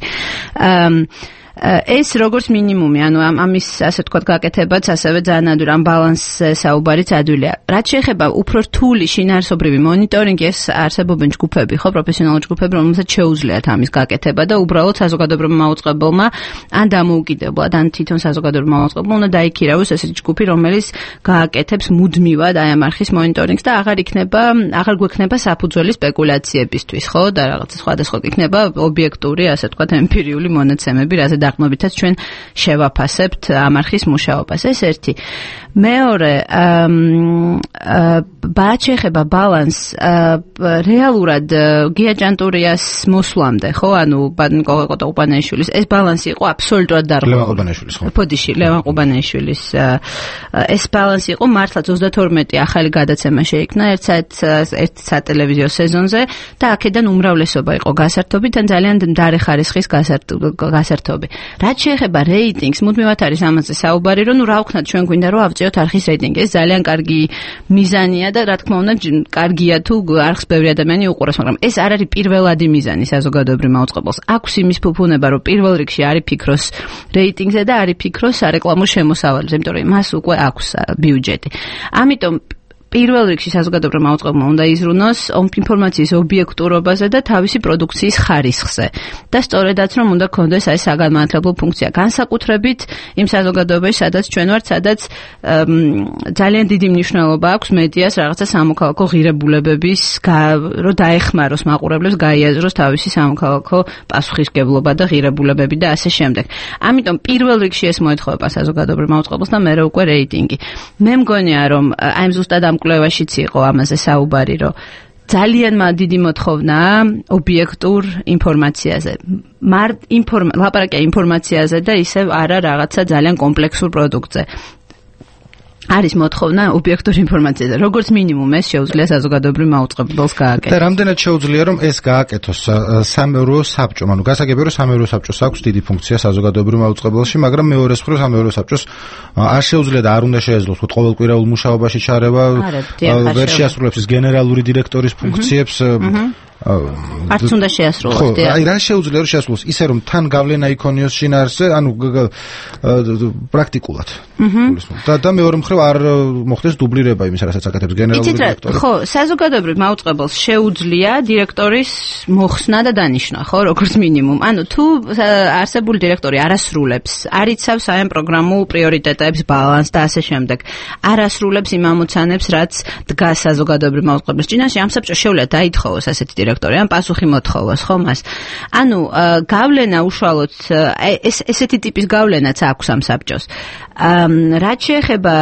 ეს როგორც მინიმუმი, ანუ ამის ასე ვთქვათ გაკეთებაც ასევე ძალიან ადვილი, ამ ბალანსზე საუბარიც ადვილია. რაც შეეხება უფრო რთული შინაარსობრივი მონიტორინგი, ეს არსებობენ ჯგუფები, ხო, პროფესიონალური ჯგუფები, რომელსაც შეუძლიათ ამის გაკეთება და უბრალოდ საზოგადოებრივმა მაუწყებელმა ან დამოუკიდებლად, ან თვითონ საზოგადოებრივ მაუწყებელმა უნდა დაიქირავოს ესეთი ჯგუფი, რომელიც გააკეთებს მუდმივად აი ამ არხის მონიტორინგს და აღარ გვექნება საფუძველი სპეკულაციებისთვის, ხო, და რაღაც სხვადასხვა იქნება ობიექტური, ასე ვთქვათ, ემპირიული მონაცემები, რაზე დაღმობითაც ჩვენ შევაფასებთ ამ არხის მუშაობას. ეს ერთი. მეორე, რაც შეეხება ბალანს, რეალურად გია ჭანტურიას მოსვლამდე, ხო, ანუ ნიკოლე ყუპანეიშვილის ეს ბალანსი იყო აბსოლუტურად დარღვეული. ლევან ყუბანეიშვილის, ხო? ფოდიში, ლევან ყუბანეიშვილის ეს ბალანსი იყო მართლაც 32 ახალი გადაცემა შეიქმნა ერთ სატელევიზიო სეზონზე და აქედან უმრავლესობა იყო გასართობი და ძალიან მდარე ხარისხის გასართობი. რაც შეეხება რეიტინგს, მუდმივად არის ამაზე საუბარი, რომ რა ვქნათ ჩვენ გვინდა რომ ავწიოთ არხის რეიტინგი. ეს ძალიან კარგი მიზანია და რა თქმა უნდა კარგია თუ არხს ბევრი ადამიანი უყურებს, მაგრამ ეს არ არის პირველადი მიზანი საზოგადოებრივ მაუწყებელს. აქვს იმის ფუფუნება, რომ პირველ რიგში არის ფიქროს რეიტინგზე და არის ფიქროს სარეკლამო შემოსავალებზე, იმიტომ რომ მას უკვე აქვს ბიუჯეტი. ამიტომ პირველ რიგში საზოგადოებრივ მაუწყებელმა უნდა იზრუნოს ინფორმაციის ობიექტურობაზე და თავისი პროდუქციის ხარისხზე. და სწორედაც რომ უნდა გქონდეს აი საგანმანათლებლო ფუნქცია. განსაკუთრებით იმ საზოგადოებაში, სადაც ჩვენ ვართ, სადაც ძალიან დიდი მნიშვნელობა აქვს მედიას რაღაცა სამოქალაქო ღირებულებების რომ დაეხმაროს მაყურებლებს, გაიაზროს თავისი სამოქალაქო პასუხისმგებლობა და ღირებულებები და ასე შემდეგ. ამიტომ პირველ რიგში ეს მოეთხოვება საზოგადოებრივ მაუწყებელს და მერე უკვე რეიტინგი. მე მგონია რომ აი ზუსტად ამ კვლევაშიც იყო ამაზე საუბარი, რომ ძალიან დიდი მოთხოვნაა ობიექტურ ინფორმაციაზე. ლაპარაკია ინფორმაციაზე და ისევ არა რაღაცა ძალიან კომპლექსურ პროდუქტზე. არის მოთხოვნა ობიექტურ ინფორმაციაზე. როგორც მინიმუმ ეს შეუძლია საზოგადოებრივ მაუწყებელს გააკეთოს. და რამდენად შეუძლია რომ ეს გააკეთოს სამეურვეო საბჭომ, ანუ გასაგებია რომ სამეურვეო საბჭოს აქვს დიდი ფუნქცია საზოგადოებრივ მაუწყებელში, მაგრამ მეორეს მხრივ სამეურვეო საბჭოს არ შეუძლია და არ უნდა შეეძლოს ყოველკვირეულ მუშაობაში ჩარევა, ვერ შეასრულებს ის გენერალური დირექტორის ფუნქციებს. არც უნდა შეასრულოს. ხო, აი რა შეუძლია რომ შეასრულოს ისე რომ თან გავლენა იქონიოს შინაარსზე, ანუ პრაქტიკულად. და მეორე მხრივ არ მოხდეს დუბლირება იმის, რასაც აკეთებს გენერალური დირექტორი. ხო, საზოგადოებრივ მაუწყებელს შეუძლია დირექტორის მოხსნა და დანიშვნა, ხო, როგორც მინიმუმ. ანუ თუ არსებული დირექტორი არ ასრულებს, არ იცავს აი ამ პროგრამულ პრიორიტეტებს, ბალანსს და ასე შემდეგ, არ ასრულებს იმ ამოცანებს, რაც დგას საზოგადოებრივ მაუწყებელს წინაშე, ამ საბჭოს შეუძლია დაითხოვოს ასეთი დირექტორი, ან პასუხი მოთხოვოს, ხო მას. ანუ გავლენა უშუალოდ ესეთი ტიპის გავლენაც აქვს ამ საბჭოს. რაც შეეხება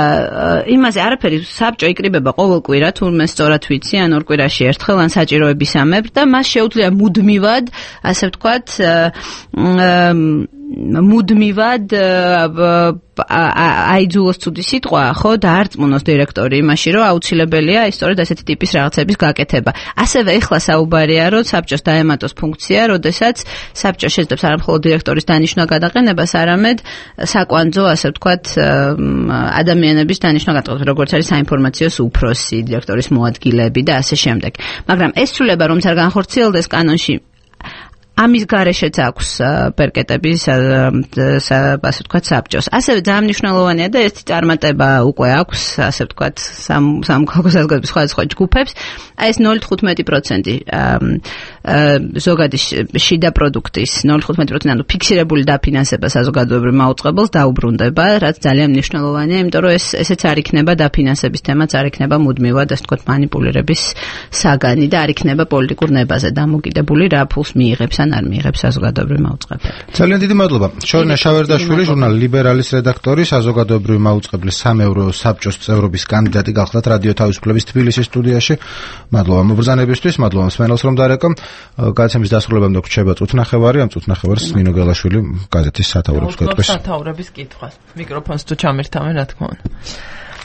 იმაზე, არაფერი საბჭო იკრიბება ყოველ კვირა, თურმე სწორად ვიცი, ან ორ კვირაში ერთხელ, ან საჭიროებისამებრ და მას შეუძლია მუდმივად, ასე ვთქვათ, მუდმივად აიძულოს ცუდი სიტყვა, ხო, დაარწმუნოს დირექტორი იმაში, რომ აუცილებელია ის სწორედ ასეთი ტიპის რაღაცების გაკეთება. ასევე ეხლა საუბარია, რომ საბჭოს დაემატოს ფუნქცია, როდესაც საბჭო შეძლებს არა მხოლოდ დირექტორის დანიშვნა გადაყენებას, არამედ საკვანძო, ასე ვთქვათ, ადამიანების დანიშვნა გადაყენებას, როგორც არის საინფორმაციო უფროსი, დირექტორის მოადგილეები და ასე შემდეგ. მაგრამ ეს ცვლილება, რომც არ განხორციელდეს კანონში, ამის გარეშეც აქვს პერკეტები, ასე ვთქვათ, საბჭოს. ასევე ძალიან მნიშვნელოვანია და ერთი წარმატება უკვე აქვს, ასე ვთქვათ, სამოქალაქო საზოგადოების სხვადასხვა ჯგუფებს. აი ეს 0.15% ზოგადი შიდა პროდუქტის 0.15%, ანუ ფიქსირებული დაფინანსება საზოგადოებრივ მაუწყებელს დაუბრუნდება, რაც ძალიან მნიშვნელოვანია, იმიტომ რომ ესეც არ იქნება დაფინანსების თემაც, არ იქნება მუდმივად, ასე ვთქვათ, манипуლირების საგანი და არ იქნება პოლიტიკურ ნებაზე დამოკიდებული, რა ფულს მიიღებს ან არ მიიღებს საზოგადოებრივ მაუწყებელი. ძალიან დიდი მადლობა. შორნა შავერდაშვილი, ჟურნალ ლიბერალის რედაქტორი, საზოგადოებრივ მაუწყებლის სამეურვეო საბჭოს წევრობის კანდიდატი გახლდათ რადიო თავისუფლების თბილისის სტუდიაში. მადლობა მობრძანებისთვის, მადლობა მსმენელს რომ დარეკო. გადაცემის დასრულებამდე გვჩება წუთნახევარი, ამ წუთნახევარს ნინო გელაშვილი გაზეთის სათაურებს გვეტყვის. სათაურების კითხვას. მიკროფონს თუ ჩამერთავენ, რა თქმა უნდა.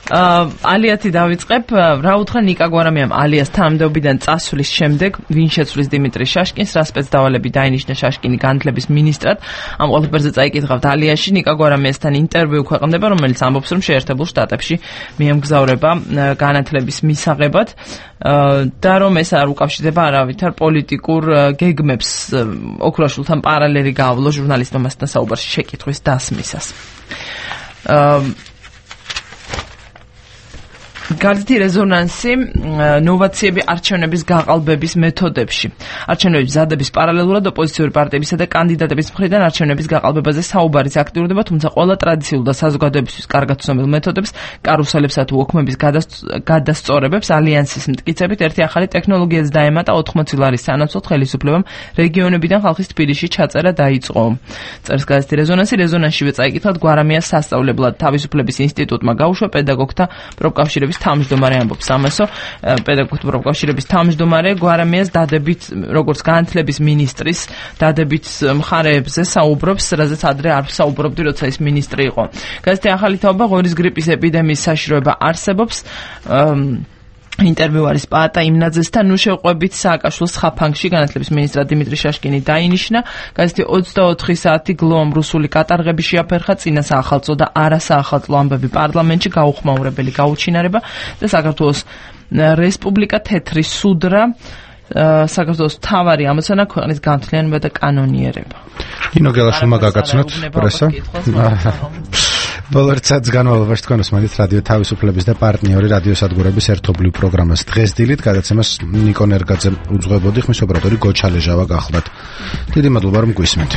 ალიათი დავიწყებ. რა უთხრა ნიკა გვარამიამ ალიას თანამდებობიდან წასვლის შემდეგ, ვინ შეცვლის დიმიტრი შაშკინს, რა სპეცდავალები დაინიშნა შაშკინი განათლების მინისტრად. ამ ყველაფერზე წაიკითხავთ ალიაში. ნიკა გვარამიასთან ინტერვიუ ქვეყნდება, რომელიც ამბობს, რომ შეერთებულ შტატებში მიემგზავრება განათლების მისაღებად და რომ ეს არ უკავშირდება არავითარ პოლიტიკურ გეგმებს. ოქროაშვილთან პარალელი გაავლო ჟურნალისტმა მასთან საუბარში შეკითხვის დასმისას. გაზეთი რეზონანსი ნოვაციები არჩევნების გაყალბების მეთოდებში. არჩევნების მზადების პარალელურად ოპოზიციური პარტიებისა და კანდიდატების მხრიდან არჩევნების გაყალბებაზე საუბარიც აქტიურდება, თუმცა ყველა ტრადიციულ და საზოგადოებისთვის კარგად ცნობილ მეთოდებს, კარუსელებსა თუ ოქმების გადასწორებებს ალიანსის მტკიცებით ერთი ახალი ტექნოლოგიაც დაემატა 80 ლარის სანაცვლოდ ხელისუფლებამ რეგიონებიდან ხალხის თბილისში ჩაწერა დაიწყო. წერს გაზეთი რეზონანსი, რეზონანსშივე წაიკითხათ გვარამიას სასწავლებლად თავისუფლების ინსტიტუტმა გაუშვა პედაგოგთა პროფკავშირების თავმჯდომარე ამბობს ამასო, პედაგოგთა პროფკავშირების თავმჯდომარე გვარამიას დადებით, როგორც განათლების მინისტრის დადებით მხარეებზე საუბრობს, რაზეც ადრე არ საუბრობდი, როცა ის მინისტრი იყო. გაზეთი ახალი თაობა ღორის გრიპის ეპიდემიის საშიშროება არსებობს. ინტერვიუ არის პაატა იმნაძესთან, ნუ შევყვებით სააკაშვილის ხაფანგში განათლების მინისტრად დიმიტრი შაშკინი დაინიშნა. გაზეთი 24 საათი გლოამ რუსული კატარღები შეაფერხა, წინა საახალწლო და არასაახალწლო ამბები პარლამენტში, გაუხმაურებელი გაუჩინარება და საქართველოს რესპუბლიკა თეთრი სუდრა, საქართველოს მთავარი ამოცანა ქვეყნის განთლიანება და კანონიერება. ნინო გელაშვილმა გაგაცნოთ პრესა. ბოლო წელს განმავლობაში თქვენ უსმენთ რადიო თავისუფლების და პარტნიორი რადიოსადგურების ერთობლივ პროგრამას დღესდილით, გადაცემას ნიკო ნერგაძე უძღვებოდი, ხმის ოპერატორი გოჩალეჟავა გახლდათ. დიდი მადლობა რომ გვისმენთ.